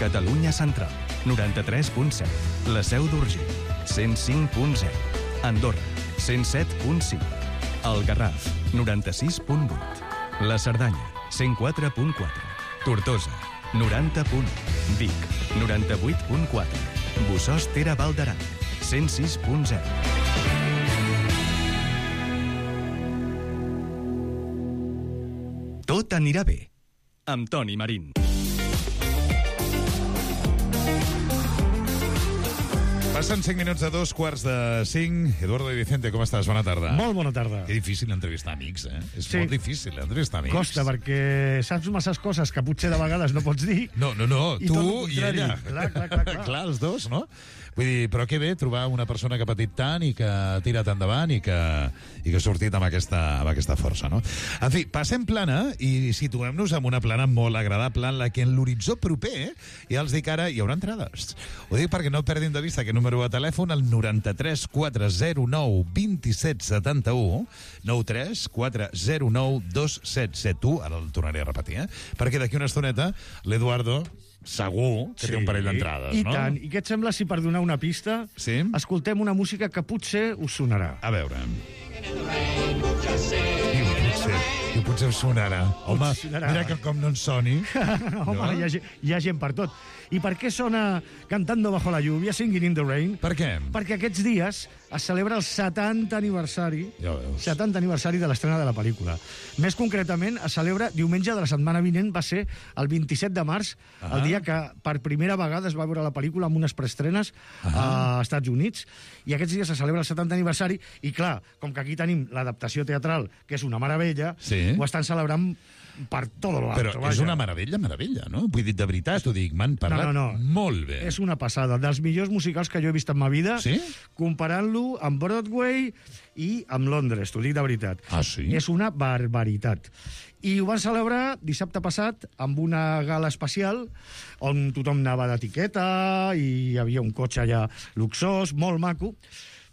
Catalunya Central, 93.7. La Seu d'Urgell, 105.0. Andorra, 107.5. El Garraf, 96.8. La Cerdanya, 104.4. Tortosa, 90.1. Vic, 98.4. Bossòst-Tere Val d'Aran, 106.0. Tot anirà bé, amb Toni Marín. Passen 5 minuts de 2:45. Eduardo y Vicente, com estàs? Bona tarda. Molt bona tarda. Que difícil entrevistar amics, eh? És molt difícil entrevistar amics. Costa, perquè saps masses coses que potser de vegades no pots dir. No, tu i ella. Clar. Clar, els dos, no? Vull dir, però que bé trobar una persona que ha patit tant i que ha tirat endavant i que ha sortit amb aquesta força, no? En fi, passem plana i situem-nos en una plana molt agradable en la que en l'horitzó proper, ja els dic ara, hi haurà entrades. Ho dic perquè no perdin de vista aquest número de telèfon, el 93 409 27 71, 93 409 2771, ara el tornaré a repetir, perquè d'aquí una estoneta l'Eduardo segur que té un parell d'entrades, no? I tant. I què et sembla si per donar una pista escoltem una música que potser us sonarà? A veure. Potser us sonarà. Home, mira que com no ens soni. Home, hi ha gent per tot. I per què sona Cantando bajo la lluvia, Singing in the Rain? Per què? Perquè aquests dies es celebra el 70 aniversari, ja veus, 70 aniversari de l'estrena de la pel·lícula. Més concretament, es celebra diumenge de la setmana vinent, va ser el 27 de març, el dia que per primera vegada es va veure la pel·lícula amb unes preestrenes a Estats Units, i aquests dies se celebra el 70 aniversari, i clar, com que aquí tenim l'adaptació teatral, que és una meravella, ho estan celebrant per tot l'altre. Però és una meravella, no? Vull dir, de veritat, t'ho dic, m'han parlat molt bé. És una passada, dels millors musicals que jo he vist en ma vida, comparant-lo amb Broadway i amb Londres, t'ho dic de veritat. Ah, sí? És una barbaritat. I ho van celebrar dissabte passat amb una gala especial on tothom anava d'etiqueta i hi havia un cotxe allà luxós, molt maco,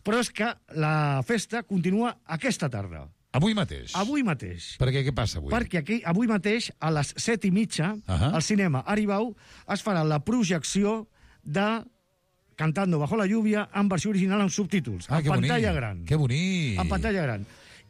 però és que la festa continua aquesta tarda. Avui mateix? Avui mateix. Perquè què passa avui? Perquè aquí, avui mateix, a les 7:30, al cinema Aribau, es farà la projecció de Cantando bajo la lluvia en versió original amb subtítols, en pantalla gran. Que bonic! En pantalla gran.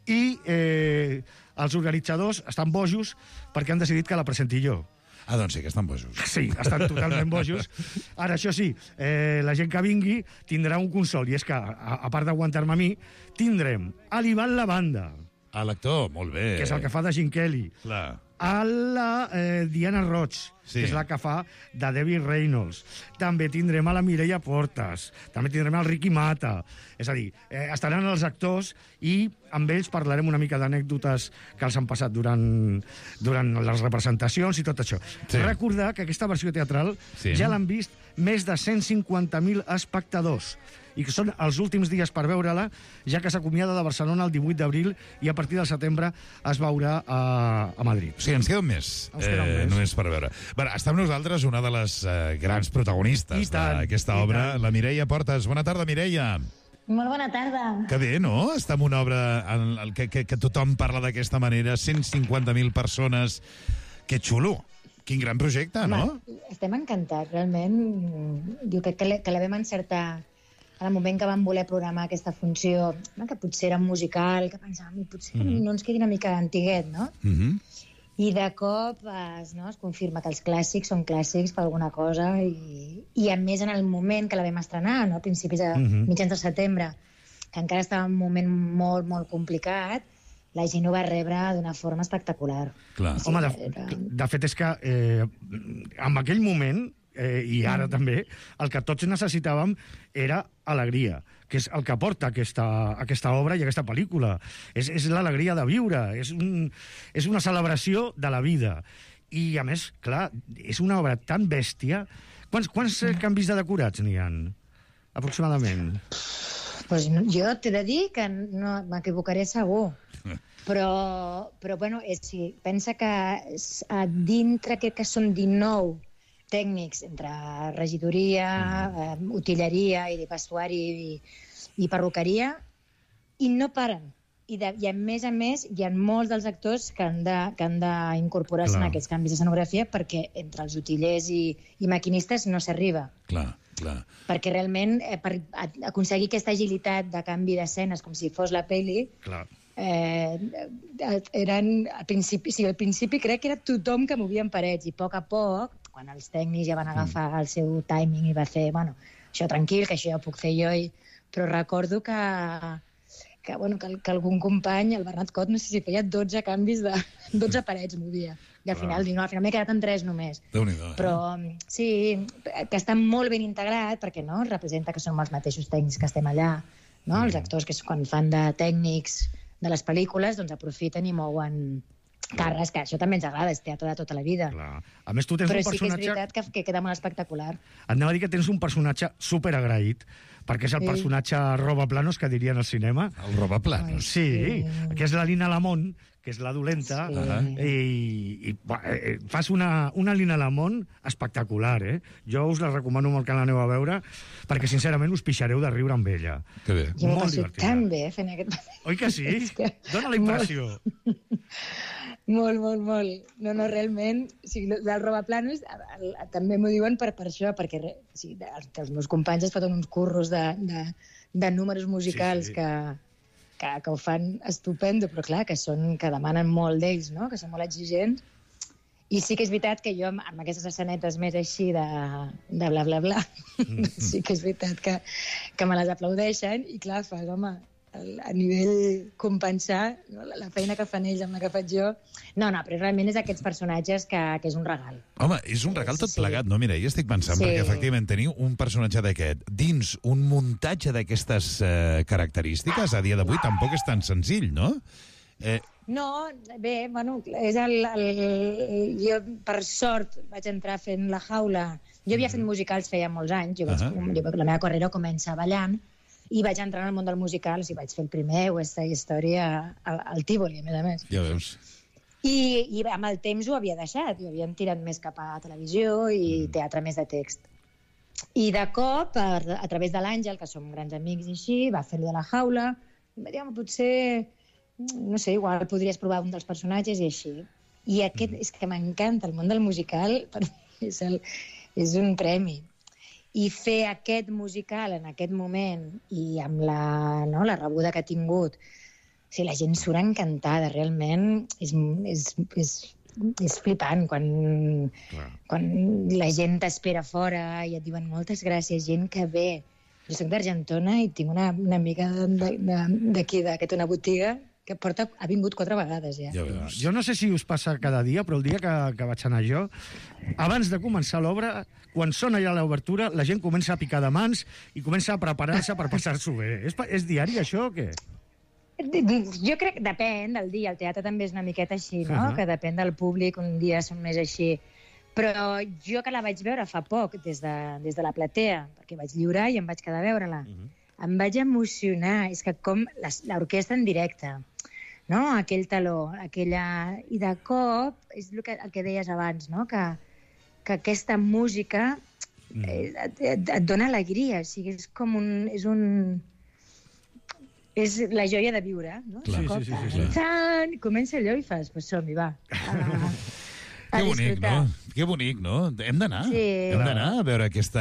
I els organitzadors estan bojos perquè han decidit que la presenti jo. Ah, doncs sí, que estan bojos. Sí, estan totalment bojos. Ara, això sí, la gent que vingui tindrà un consol, i és que, a part d'aguantar-me a mi, tindrem a l'Ivan Lavanda. A l'actor, molt bé. Que és el que fa de Gene Kelly. Clar. A la Diana Roig, que és la que fa de Debbie Reynolds. També tindrem a la Mireia Portas, també tindrem al Ricky Mata. És a dir, estaran els actors i amb ells parlarem una mica d'anècdotes que els han passat durant les representacions i tot això. Recordar que aquesta versió teatral ja l'han vist més de 150.000 espectadors i que són els últims dies per veure-la, ja que s'acomiada de Barcelona el 18 d'abril i a partir del setembre es veurà a Madrid. Sí, ens queda un mes. Només per veure. Bé, està amb nosaltres una de les grans protagonistes d'aquesta obra, la Mireia Portas. Bona tarda, Mireia. Molt bona tarda. Que bé, no? Està en una obra en que tothom parla d'aquesta manera, 150.000 persones. Que xulo. Quin gran projecte, no? Estem encantats, realment. Jo crec que la vam encertar en el moment que vam voler programar aquesta funció, que potser era musical, que pensàvem, potser no ens quedi una mica antiguet, no? I de cop es confirma que els clàssics són clàssics per alguna cosa i a més en el moment que la vam estrenar, a principis de mitjans de setembre, que encara estava en un moment molt, molt complicat, la gent ho va rebre d'una forma espectacular. Home, de fet és que en aquell moment i ara també, el que tots necessitàvem era alegria, que és el que porta aquesta obra i aquesta pel·lícula. És l'alegria de viure, és una celebració de la vida. I, a més, clar, és una obra tan bèstia. Quants canvis de decorats n'hi ha, aproximadament? Pues jo t'he de dir que no m'equivocaré segur. Però bueno, pensa que dintre crec que són 19 tècnics entre regidoria, utilleria i vestuari i perruqueria, i no paren. I a més, hi ha molts dels actors que han d'incorporar-se en aquests canvis d'escenografia perquè entre els utillers i maquinistes no s'arriba. Clar. Perquè realment, per aconseguir aquesta agilitat de canvi d'escenes com si fos la pel·li, eren, al principi crec que era tothom que movia en parets, i a poc, quan els tècnics ja van agafar el seu timing i va fer, bueno, això tranquil, que això ja ho puc fer jo, però recordo que algun company, el Bernat Cot, no sé si feia 12 canvis de 12 parets movia. I al final m'he quedat en 3 només. Déu-n'hi-do, Però sí, que està molt ben integrat, perquè no representa que són els mateixos tècnics que estem allà, no? Els actors que quan fan de tècnics de les pel·lícules, doncs aprofiten i mouen càrrecs, que això també ens agrada, és teatre de tota la vida. Clar. A més, tu tens un personatge... Però sí que és veritat que queda molt espectacular. Et anava a dir que tens un personatge superagraït, perquè és el personatge robaplanos, que dirien al cinema. El robaplanos? Sí, que és la Lina Lamont, que és la dolenta, i fas una Lina Lamont espectacular, eh? Jo us la recomano molt que l'aneu a veure, perquè sincerament us pixareu de riure amb ella. Que bé. Jo m'ho passo tan bé fent aquest... Oi que sí? Dóna la impressió. Molt. No, realment, o sigui, del robaplanos també m'ho diuen per això, perquè els meus companys es foten uns curros de números musicals que ho fan estupendo, però clar, que demanen molt d'ells, no? Que són molt exigents. I sí que és veritat que jo, amb aquestes escenetes més així de bla, bla, bla, sí que és veritat que me les aplaudeixen i clar, fas, home, a nivell compensar la feina que fan ells amb la que faig jo. No, però realment és aquests personatges que és un regal. Home, és un regal tot plegat, no? Mira, jo estic pensant, perquè efectivament teniu un personatge d'aquest dins un muntatge d'aquestes característiques, a dia d'avui tampoc és tan senzill, no? No, bé, bueno, és jo per sort vaig entrar fent La Jaula. Jo havia fet musicals feia molts anys, la meva carrera comença ballant, i vaig entrar en el món del musical, o sigui, vaig fer el primer West Side Story al Tívoli, a més. Ja veus. I amb el temps ho havia deixat, ho havien tirat més cap a televisió i teatre més de text. I de cop, a través de l'Àngel, que som grans amics i així, va fer de La Jaula, va dir, potser, no sé, igual podries provar un dels personatges i així. I aquest, és que m'encanta, el món del musical, per mi és un premi. I fer aquest musical en aquest moment i amb la rebuda que ha tingut, o sigui, la gent surt encantada, realment és flipant quan la gent t'espera fora i et diuen moltes gràcies, gent que ve. Jo soc d'Argentona i tinc una amiga d'aquí, una botiga, que ha vingut 4 vegades ja. Jo no sé si us passa cada dia, però el dia que vaig anar jo, abans de començar l'obra, quan sona ja l'obertura, la gent comença a picar de mans i comença a preparar-se per passar-s'ho bé. És diari, això, o què? Jo crec que depèn del dia. El teatre també és una miqueta així, no? Que depèn del públic, un dia són més així. Però jo que la vaig veure fa poc, des de la platea, perquè vaig lliurar i em vaig quedar a veure-la, em vaig emocionar. És que com l'orquestra en directe, no? Aquell taló, i de cop, és el que deies abans, no? Que aquesta música et dona alegria, o sigui, és com és la joia de viure, no? Sí. Comença allò i fas, pues som-hi, va. Que bonic, no? Que bonic, no? Hem d'anar. Hem d'anar a veure aquest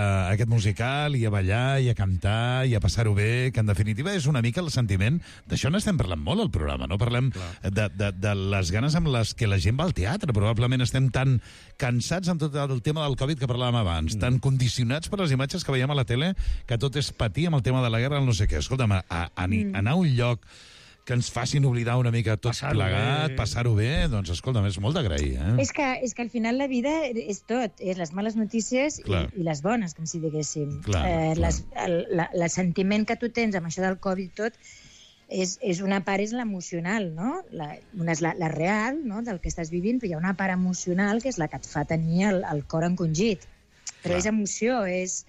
musical i a ballar i a cantar i a passar-ho bé, que en definitiva és una mica el sentiment. D'això n'estem parlant molt al programa, no? Parlem de les ganes amb les que la gent va al teatre. Probablement estem tan cansats amb tot el tema del Covid que parlàvem abans, tan condicionats per les imatges que veiem a la tele, que tot és patir amb el tema de la guerra, el no sé què. Escolta'm, anar a un lloc que ens facin oblidar una mica tot plegat, passar-ho bé, doncs, escolta'm, és molt d'agrair, eh? És que al final la vida és tot, és les males notícies i les bones, com si diguéssim. El sentiment que tu tens amb això del Covid tot, és una part és l'emocional, no? Una és la real, no?, del que estàs vivint, però hi ha una part emocional que és la que et fa tenir el cor encongit. Però és emoció, és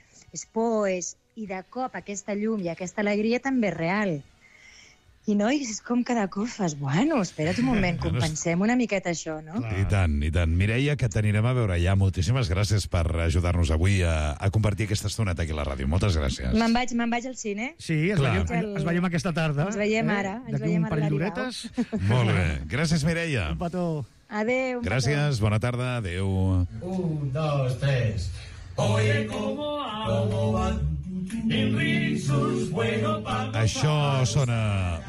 por, i de cop aquesta llum i aquesta alegria també és real. I no, és com cada cop fas, bueno, espera't un moment, compensem una miqueta això, no? I tant, i tant. Mireia, que t'anirem a veure ja. Moltíssimes gràcies per ajudar-nos avui a compartir aquesta estoneta aquí a la ràdio. Moltes gràcies. Me'n vaig al cine. Sí, ens veiem aquesta tarda. Ens veiem ara. D'aquí un parell d'horetes. Molt bé. Gràcies, Mireia. Un petó. Adéu. Gràcies, bona tarda, adéu. 1, 2, 3. Oye, ¿cómo van? Això sona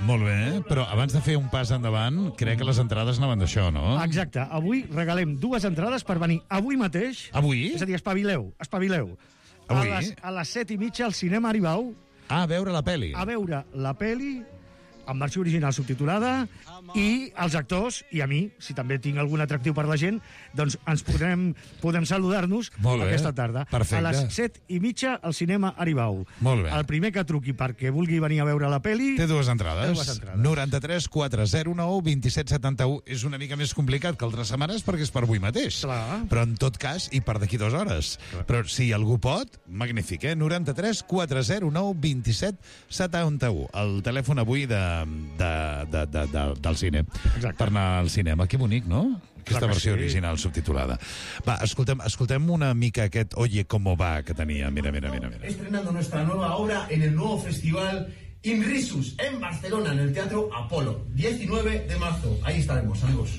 molt bé, però abans de fer un pas endavant, crec que les entrades anaven d'això, no? Exacte. Avui regalem 2 entrades per venir avui mateix. Avui? És a dir, espavileu. Avui? A les 7:30 al cinema Aribau. A veure la peli. A veure la peli en versió original subtitulada, i els actors, i a mi, si també tinc algun atractiu per la gent, doncs ens podem saludar-nos aquesta tarda. Perfecte. A les 7:30 al cinema Aribau. Molt bé. El primer que truqui perquè vulgui venir a veure la peli... Té 2 entrades. 93 409 27 71. És una mica més complicat que altres setmanes perquè és per avui mateix. Clar. Però en tot cas, i per d'aquí 2 hores. Clar. Però si algú pot, magnífic, 93 409 27 71. El telèfon avui del cine. Exacte. Per anar al cinema. Que bonic, no? Aquesta versió original subtitulada. Va, escoltem una mica aquest Oye cómo va que tenia. Mira. Estrenando nuestra nueva obra en el nuevo festival Inrisus en Barcelona, en el Teatro Apolo. 19 de marzo. Ahí estaremos, amigos.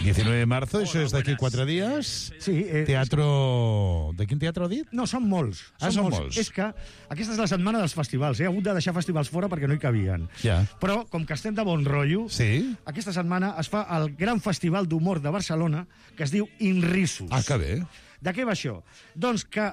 19 de marzo, això és d'aquí 4 dies. Sí. Teatro... De quin teatre ha dit? No, són molts. Són molts. És que aquesta és la setmana dels festivals. He hagut de deixar festivals fora perquè no hi cabien. Ja. Però, com que estem de bon rotllo, aquesta setmana es fa el gran festival d'humor de Barcelona, que es diu Inrisus. Ah, que bé. De què va això? Doncs que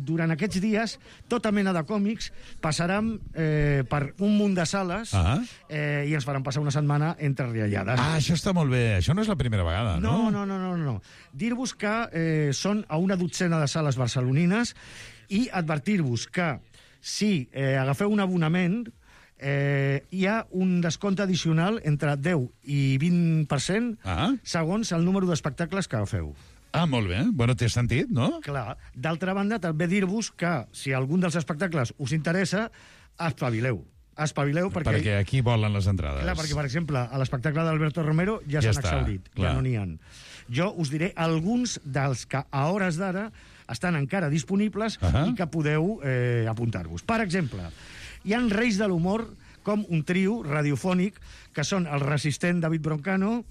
durant aquests dies tota mena de còmics passaran per un munt de sales i ens faran passar una setmana entre riallades. Ah, això està molt bé. Això no és la primera vegada, no? No. Dir-vos que són a una dotzena de sales barcelonines i advertir-vos que si agafeu un abonament hi ha un descompte addicional entre 10 i 20% segons el número d'espectacles que agafeu. Ah, molt bé. Bueno, té sentit, no? Clar. D'altra banda, també dir-vos que si algun dels espectacles us interessa, espavileu perquè aquí volen les entrades. Clar, perquè, per exemple, a l'espectacle d'Alberto Romero ja s'han exhaurit, ja no n'hi ha. Jo us diré alguns dels que a hores d'ara estan encara disponibles i que podeu apuntar-vos. Per exemple, hi ha Reis de l'Humor, com un trio radiofònic, que són el resistent David Broncano,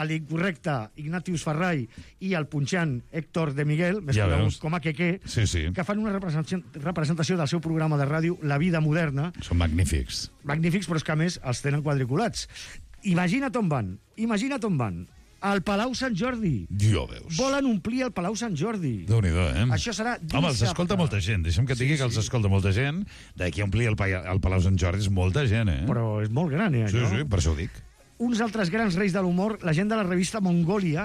l'incorrecte Ignatius Ferrai i el punxant Héctor de Miguel, més conegut com a Quequé, que fan una representació del seu programa de ràdio La Vida Moderna. Són magnífics. Magnífics, però és que a més els tenen quadriculats. Imagina't on van. Al Palau Sant Jordi. Ja veus. Volen omplir el Palau Sant Jordi. Déu-n'hi-do, Això serà dissabte. Home, els escolta molta gent. Deixa'm que et digui que els escolta molta gent. D'aquí a omplir el Palau Sant Jordi és molta gent, Però és molt gran, allò. Sí, per això ho dic. Uns altres grans reis de l'humor, la gent de la revista Mongolia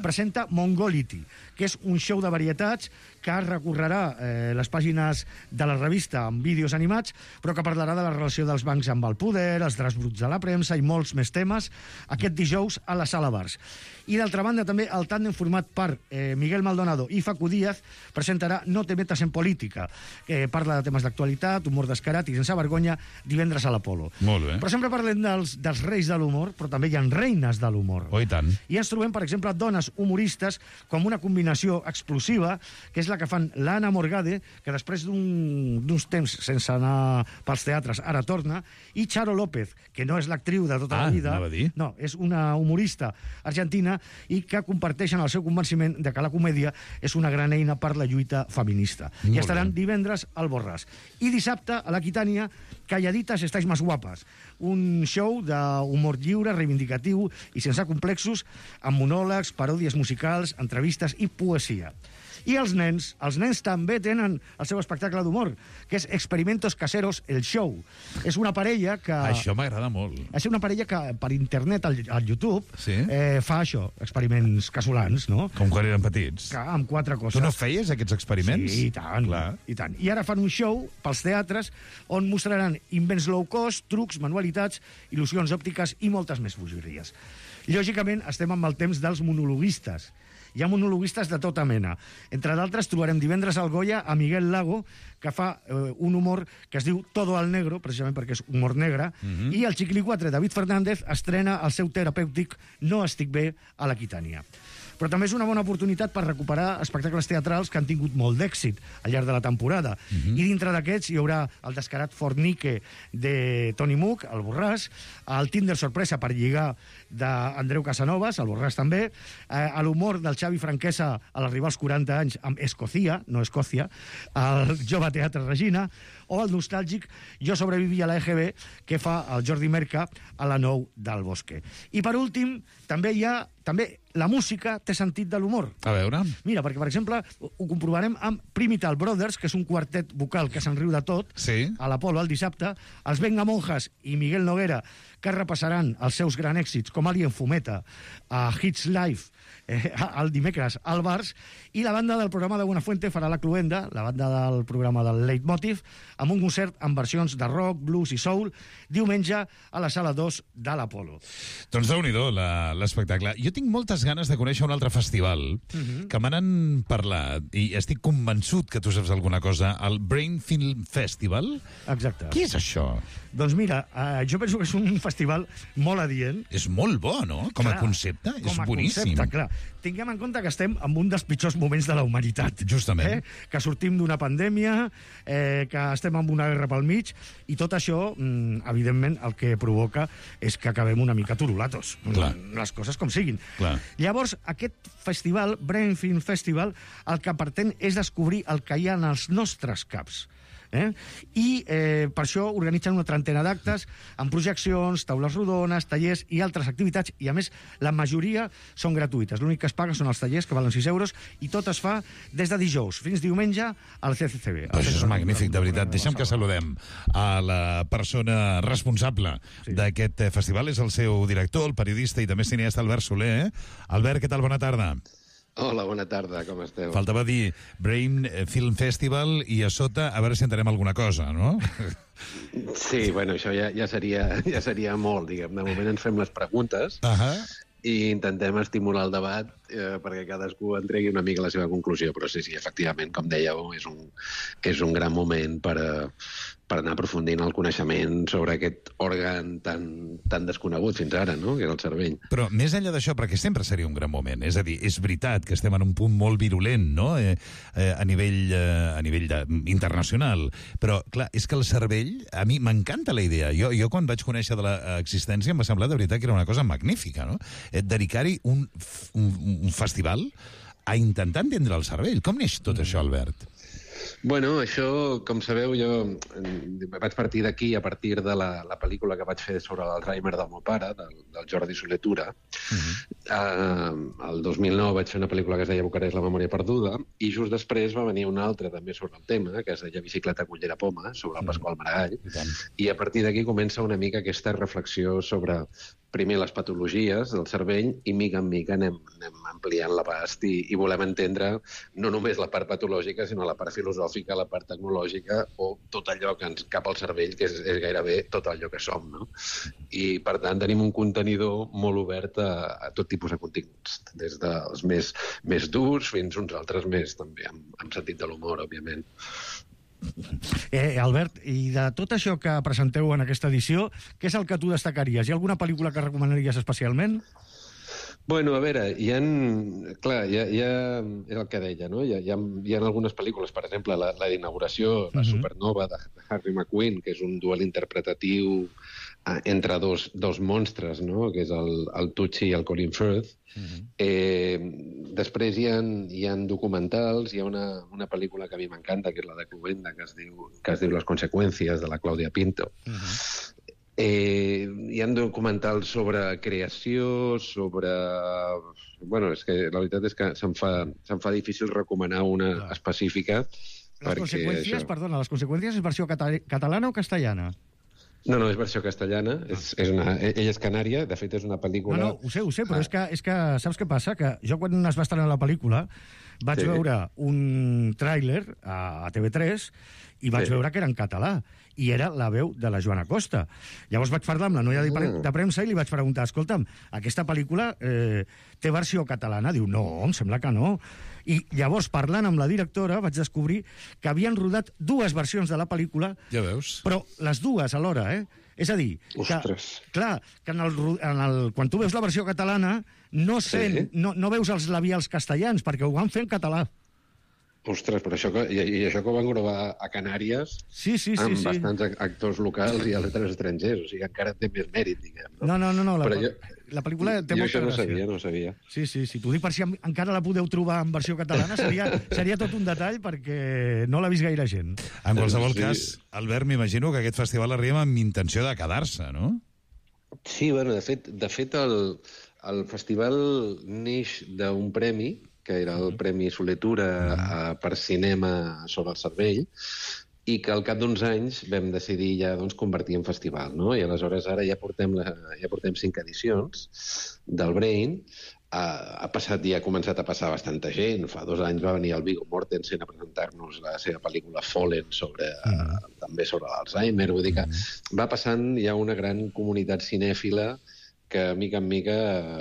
presenta Mongolity, que és un show de varietats que recorrerà les pàgines de la revista amb vídeos animats, però que parlarà de la relació dels bancs amb el poder, els draps bruts de la premsa i molts més temes, aquest dijous a la Sala Bars. I d'altra banda també el tàndem format per Miguel Maldonado i Facu Díaz presentarà No te metas en política, que parla de temes d'actualitat, humor descarat i sense vergonya, divendres a l'Apolo. Molt bé. Però sempre parlem dels reis de l'humor, però també hi ha reines de l'humor. Oh, i tant. I ens trobem, per exemple, dones humoristes com una combinació explosiva, que és la que fan l'Anna Morgade, que després d'uns temps sense anar pels teatres ara torna, i Charo López, que no és l'actriu de tota la vida. No, és una humorista argentina i que comparteixen el seu convenciment de que la comèdia és una gran eina per la lluita feminista. I estaran divendres al Borràs. I dissabte, a l'Aquitània, Calladitas estáis más guapas. Un show d'humor lliure, reivindicatiu i sense complexos, amb monòlegs, paròdies musicals, entrevistes i poesia. I els nens també tenen el seu espectacle d'humor, que és Experimentos Caseros, el show. És una parella que... Això m'agrada molt. És una parella que per internet, al YouTube, fa això, experiments casolans, no? Com quan eren petits. Amb 4 coses. Tu no feies aquests experiments? Sí, i tant. I ara fan un show pels teatres on mostraran invents low cost, trucs, manualitats, il·lusions òptiques i moltes més bogeries. Lògicament, estem amb el temps dels monologuistes. Hi ha monologuistes de tota mena. Entre d'altres, trobarem divendres al Goya a Miguel Lago, que fa un humor que es diu Todo al Negro, precisament perquè és humor negre, i el Xicli 4, David Fernández, estrena el seu terapèutic No estic bé a l'Aquitània. Però també és una bona oportunitat per recuperar espectacles teatrals que han tingut molt d'èxit al llarg de la temporada. I dintre d'aquests hi haurà el descarat Fornique de Tony Mook, el Borràs, el Tinder sorpresa per lligar d'Andreu Casanovas, el Borràs també, l'humor del Xavi Franquesa a l'arribar als 40 anys amb Escocia, no Escòcia, el Jove Teatre Regina, o el nostàlgic Jo sobreviví a la EGB, que fa el Jordi Merca a la 9 del Bosque. I per últim, també la música té sentit de l'humor. A veure. Mira, perquè, per exemple, ho comprovarem amb Primital Brothers, que és un quartet vocal que se'n riu de tot, a l'Apolo el dissabte, els Venga Monjas i Miguel Noguera, que repassaran els seus grans èxits, com Alien Fumeta, a Hits Live, el dimecres al Bars, i la banda del programa de Buenafuente farà la Cluenda, la banda del programa del Leitmotiv, amb un concert amb versions de rock, blues i soul, diumenge a la sala 2 de l'Apolo. Doncs déu-n'hi-do l'espectacle. Jo tinc moltes ganes de conèixer un altre festival que me n'han parlat i estic convençut que tu saps alguna cosa, el Brain Film Festival. Exacte. Què és això? Doncs mira, jo penso que és un festival molt adient. És molt bo, no? Com a concepte, és boníssim. Concepte, clar. Tinguem en compte que estem en un dels pitjors moments de la humanitat. Justament. Que sortim d'una pandèmia, que estem en una guerra pel mig, i tot això, evidentment, el que provoca és que acabem una mica turulatos. Les coses com siguin. Clar. Llavors, aquest festival, Brain Film Festival, el que pretén és descobrir el que hi ha en els nostres caps. I per això organitzen una trentena d'actes amb projeccions, taules rodones, tallers i altres activitats, i a més la majoria són gratuïtes. L'únic que es paga són els tallers, que valen 6 euros, i tot es fa des de dijous fins diumenge al CCCB. Això és magnífic, de veritat. Deixa'm que saludem a la persona responsable d'aquest festival, és el seu director, el periodista i també cineasta Albert Soler. Albert, què tal? Bona tarda. Hola, bona tarda, com esteu? Faltava dir Brain Film Festival i a sota a veure si entenem alguna cosa, no? Sí, bueno, això ja seria molt, diguem. De moment ens fem les preguntes i intentem estimular el debat perquè cadascú en tregui una mica la seva conclusió, però sí, efectivament, com dèieu, és un gran moment per anar aprofundint el coneixement sobre aquest òrgan tan desconegut fins ara, no?, que és el cervell. Però més enllà d'això, perquè sempre seria un gran moment, és a dir, és veritat que estem en un punt molt virulent, no?, a nivell internacional, però, clar, és que el cervell, a mi m'encanta la idea. Jo quan vaig conèixer de l'existència em va semblar de veritat que era una cosa magnífica, no?, dedicar-hi un festival a intentar entendre el cervell. Com neix tot això, Albert? Bueno, això, com sabeu, jo vaig partir d'aquí a partir de la pel·lícula que vaig fer sobre l'Alzheimer del meu pare, del Jordi Soler-Tura. El 2009 vaig fer una pel·lícula que es deia Bucarest, la memòria perduda, i just després va venir una altra també sobre el tema, que es deia Bicicleta, Cullera, Poma, sobre el Pasqual Maragall, i a partir d'aquí comença una mica aquesta reflexió sobre primer les patologies del cervell i mica en mica anem ampliant l'abast i volem entendre no només la part patològica, sinó la part filosòfica, la part tecnològica o tot allò que ens cap al cervell, que és gairebé tot allò que som, no? I, per tant, tenim un contenidor molt obert a tot tipus de continguts, des dels més durs fins uns altres més, també, amb sentit de l'humor, òbviament. Albert, i de tot això que presenteu en aquesta edició, què és el que tu destacaries? Hi ha alguna pel·lícula que recomanaries especialment? Bueno, a veure, és el que deia, no? Hi ha algunes pel·lícules, per exemple, la d'inauguració, la Supernova de Harry McQueen, que és un duel interpretatiu entre dos monstres, no?, que és el Tucci i el Colin Firth. Després hi ha documentals, hi ha una pel·lícula que a mi m'encanta, que és la de Cluenda, que es diu Les conseqüències, de la Clàudia Pinto. Hi ha documentals sobre creació, sobre... Bueno, és que la veritat és que se'm fa difícil recomanar una específica. Les conseqüències, perdona, les conseqüències és versió catalana o castellana? No, és versió castellana. Ella és canària, de fet és una pel·lícula... No, ho sé, però és que saps què passa? Que jo quan es va estrenar la pel·lícula vaig veure un tràiler a TV3 i vaig veure que era en català i era la veu de la Joana Costa. Llavors vaig parlar amb la noia de premsa i li vaig preguntar, escolta'm, aquesta pel·lícula té versió catalana? Diu, no, em sembla que no. I llavors, parlant amb la directora, vaig descobrir que havien rodat 2 versions de la pel·lícula, ja veus, però les 2 alhora, És a dir, que, clar, que quan tu veus la versió catalana no veus els labials castellans, perquè ho van fer en català. Ostres, però això que ho van gravar a Canàries amb bastants actors locals i altres estrangers, o sigui, encara té més mèrit, diguem. No, la pel·lícula té molta gràcia. Jo això no sabia. Sí, t'ho dic per si encara la podeu trobar en versió catalana, seria tot un detall perquè no l'ha vist gaire gent. En qualsevol cas, Albert, m'imagino que aquest festival arriba amb intenció de quedar-se, no? Sí, bueno, de fet el festival neix d'un premi, que era el Premi Soletura per cinema sobre el cervell, i que al cap d'uns anys vam decidir ja convertir en festival, no? I aleshores ara ja portem 5 edicions del Brain. Ha començat a passar bastanta gent. Fa 2 anys va venir el Viggo Mortensen a presentar-nos la seva pel·lícula Fallen també sobre l'Alzheimer. Vull dir que va passant ja una gran comunitat cinèfila que, mica en mica,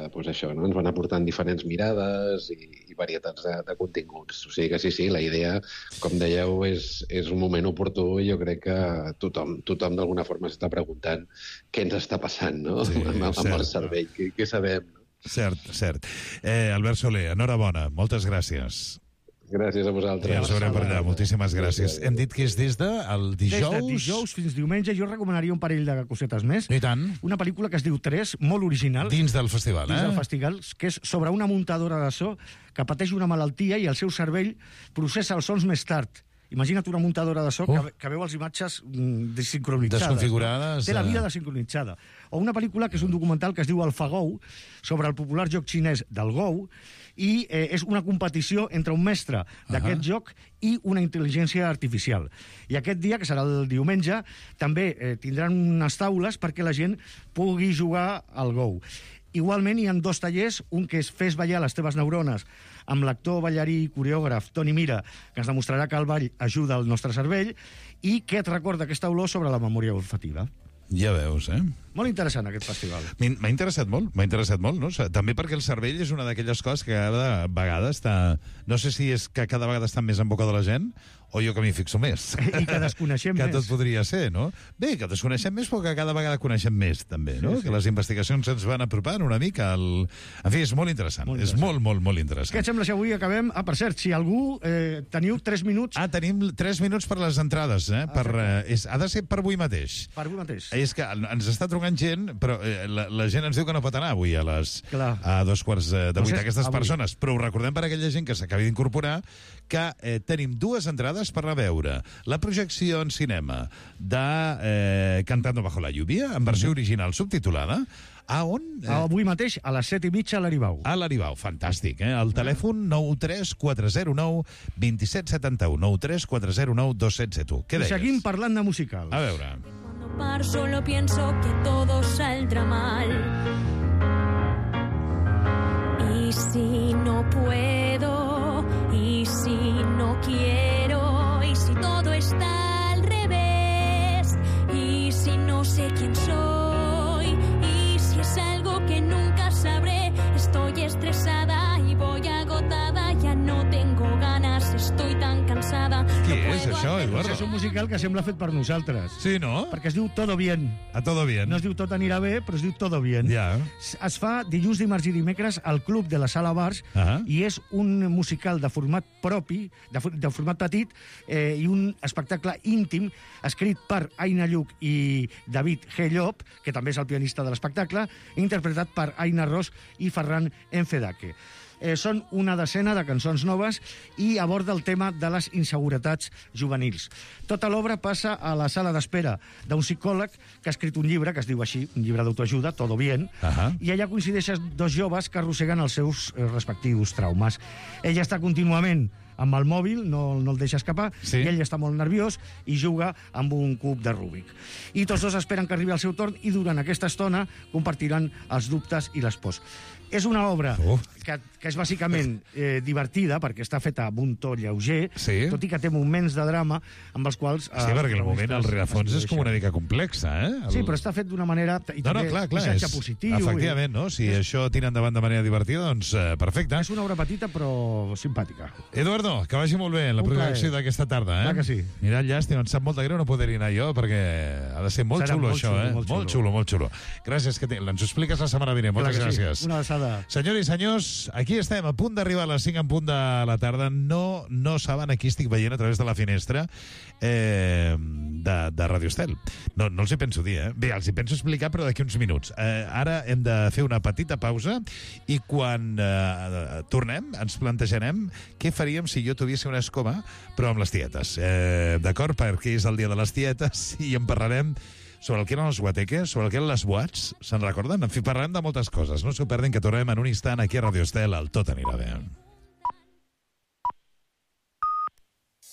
ens van aportant diferents mirades i varietats de continguts. O sigui que sí, la idea, com dèieu, és un moment oportú i jo crec que tothom d'alguna forma s'està preguntant què ens està passant, no? Amb el cervell, què sabem? Cert. Albert Soler, enhorabona, moltes gràcies. Gràcies a vosaltres. Ja ens veurem per allà, moltíssimes gràcies. Hem dit que és des del dijous... Des de dijous fins diumenge. Jo recomanaria un parell de cosetes més. I tant. Una pel·lícula que es diu 3, molt original. Dins del festival, Dins del festival, que és sobre una muntadora de so que pateix una malaltia i el seu cervell processa els sons més tard. Imagina't una muntadora de so que veu les imatges desincronitzades. Desconfigurades. Té la vida desincronitzada. O una pel·lícula que és un documental que es diu AlphaGo, sobre el popular joc xinès del Go, i és una competició entre un mestre d'aquest joc i una intel·ligència artificial. I aquest dia, que serà el diumenge, també tindran unes taules perquè la gent pugui jugar al Go. Igualment, hi ha 2 tallers, un que és Fes ballar les teves neurones, amb l'actor, ballarí i coreògraf Toni Mira, que ens demostrarà que el ball ajuda al nostre cervell, i que et recorda aquesta olor sobre la memòria olfativa. Ja veus, Molt interessant, aquest festival. M'ha interessat molt, no? També perquè el cervell és una d'aquelles coses que cada vegada està... No sé si és que cada vegada està més en boca de la gent o jo que m'hi fixo més. I que desconeixem més. Que tot podria ser, no? Bé, que desconeixem més, però que cada vegada coneixem més, també, no? Que les investigacions ens van apropant una mica al... En fi, és molt interessant. És molt interessant. Què et sembla si avui acabem? Per cert, si algú teniu 3 minuts... Tenim 3 minuts per les entrades, ha de ser per avui mateix. Per avui mateix. És que ens està trucant gent, però la gent ens diu que no pot anar avui a 2:45 aquestes persones. Però ho recordem per aquella gent que s'acabi d'incorporar, que tenim 2 entrades per a veure la projecció en cinema de Cantando bajo la lluvia, en versió original subtitulada. A on? Avui mateix, a les 7:30 a l'Aribau. A l'Aribau, fantàstic, El telèfon 93409 2771, 93409 2771. Què deies? I seguim parlant de musical. A veure. Solo pienso que todo saldrá mal. Y si no puedo, y si no quiero, y si todo está al revés, y si no sé quién soy, y si es algo que nunca sabré, estoy estresada y voy agotada, ya no tengo ganas, estoy tan cansada. Què és això, Eduardo? És un musical que sembla fet per nosaltres. Sí, no? Perquè es diu Todo Bien. A Todo Bien. No es diu Tot anirà bé, però es diu Todo Bien. Ja. Es fa dilluns, dimarts i dimecres al Club de la Sala Bars i és un musical de format propi, de format petit, i un espectacle íntim escrit per Aina Lluch i David G. Llop, que també és el pianista de l'espectacle, interpretat per Aina Ros i Ferran Enfedake. Són una decena de cançons noves i aborda el tema de les inseguretats juvenils. Tota l'obra passa a la sala d'espera d'un psicòleg que ha escrit un llibre que es diu així, un llibre d'autoajuda, Todo Bien, i allà coincideixen 2 joves que arrosseguen els seus respectius traumes. Ella està contínuament amb el mòbil, no el deixa escapar, i ell està molt nerviós i juga amb un cub de Rubik. I tots 2 esperen que arribi el seu torn i durant aquesta estona compartiran els dubtes i les pors. És una obra que és bàsicament divertida, perquè està feta amb un to lleuger, tot i que té moments de drama amb els quals... Sí, perquè el moment al rerefons és com una mica complexa, eh? Sí, però està fet d'una manera... I també missatge positiu. Efectivament, no? Si això tira endavant de manera divertida, doncs perfecte. És una obra petita, però simpàtica. Eduardo, que vagi molt bé en la projecció d'aquesta tarda, eh? Clar que sí. Mira, llàstima, em sap molt de greu no poder-hi anar jo, perquè ha de ser molt xulo, això, eh? Molt xulo, molt xulo. Gràcies, que ens ho expliques la setmana vinent. Moltes gràcies. Una abraçada. Senyors i senyors, aquí estem, a punt d'arribar a les 5 en punt de la tarda. No saben a qui estic veient a través de la finestra de Radio Estel. No els hi penso dir, eh? Bé, els hi penso explicar, però d'aquí uns minuts. Ara hem de fer una petita pausa i quan tornem ens plantejarem què faríem si jo tuviese una escoba, però amb les tietes. D'acord? Perquè és el dia de les tietes i en parlarem sobre el que eren els guateques, sobre el que eren les boats, se'n recorden? En fi, parlarem de moltes coses. No s'ho perdin, que tornem en un instant aquí a Radio Estel, el Tot anirà bé.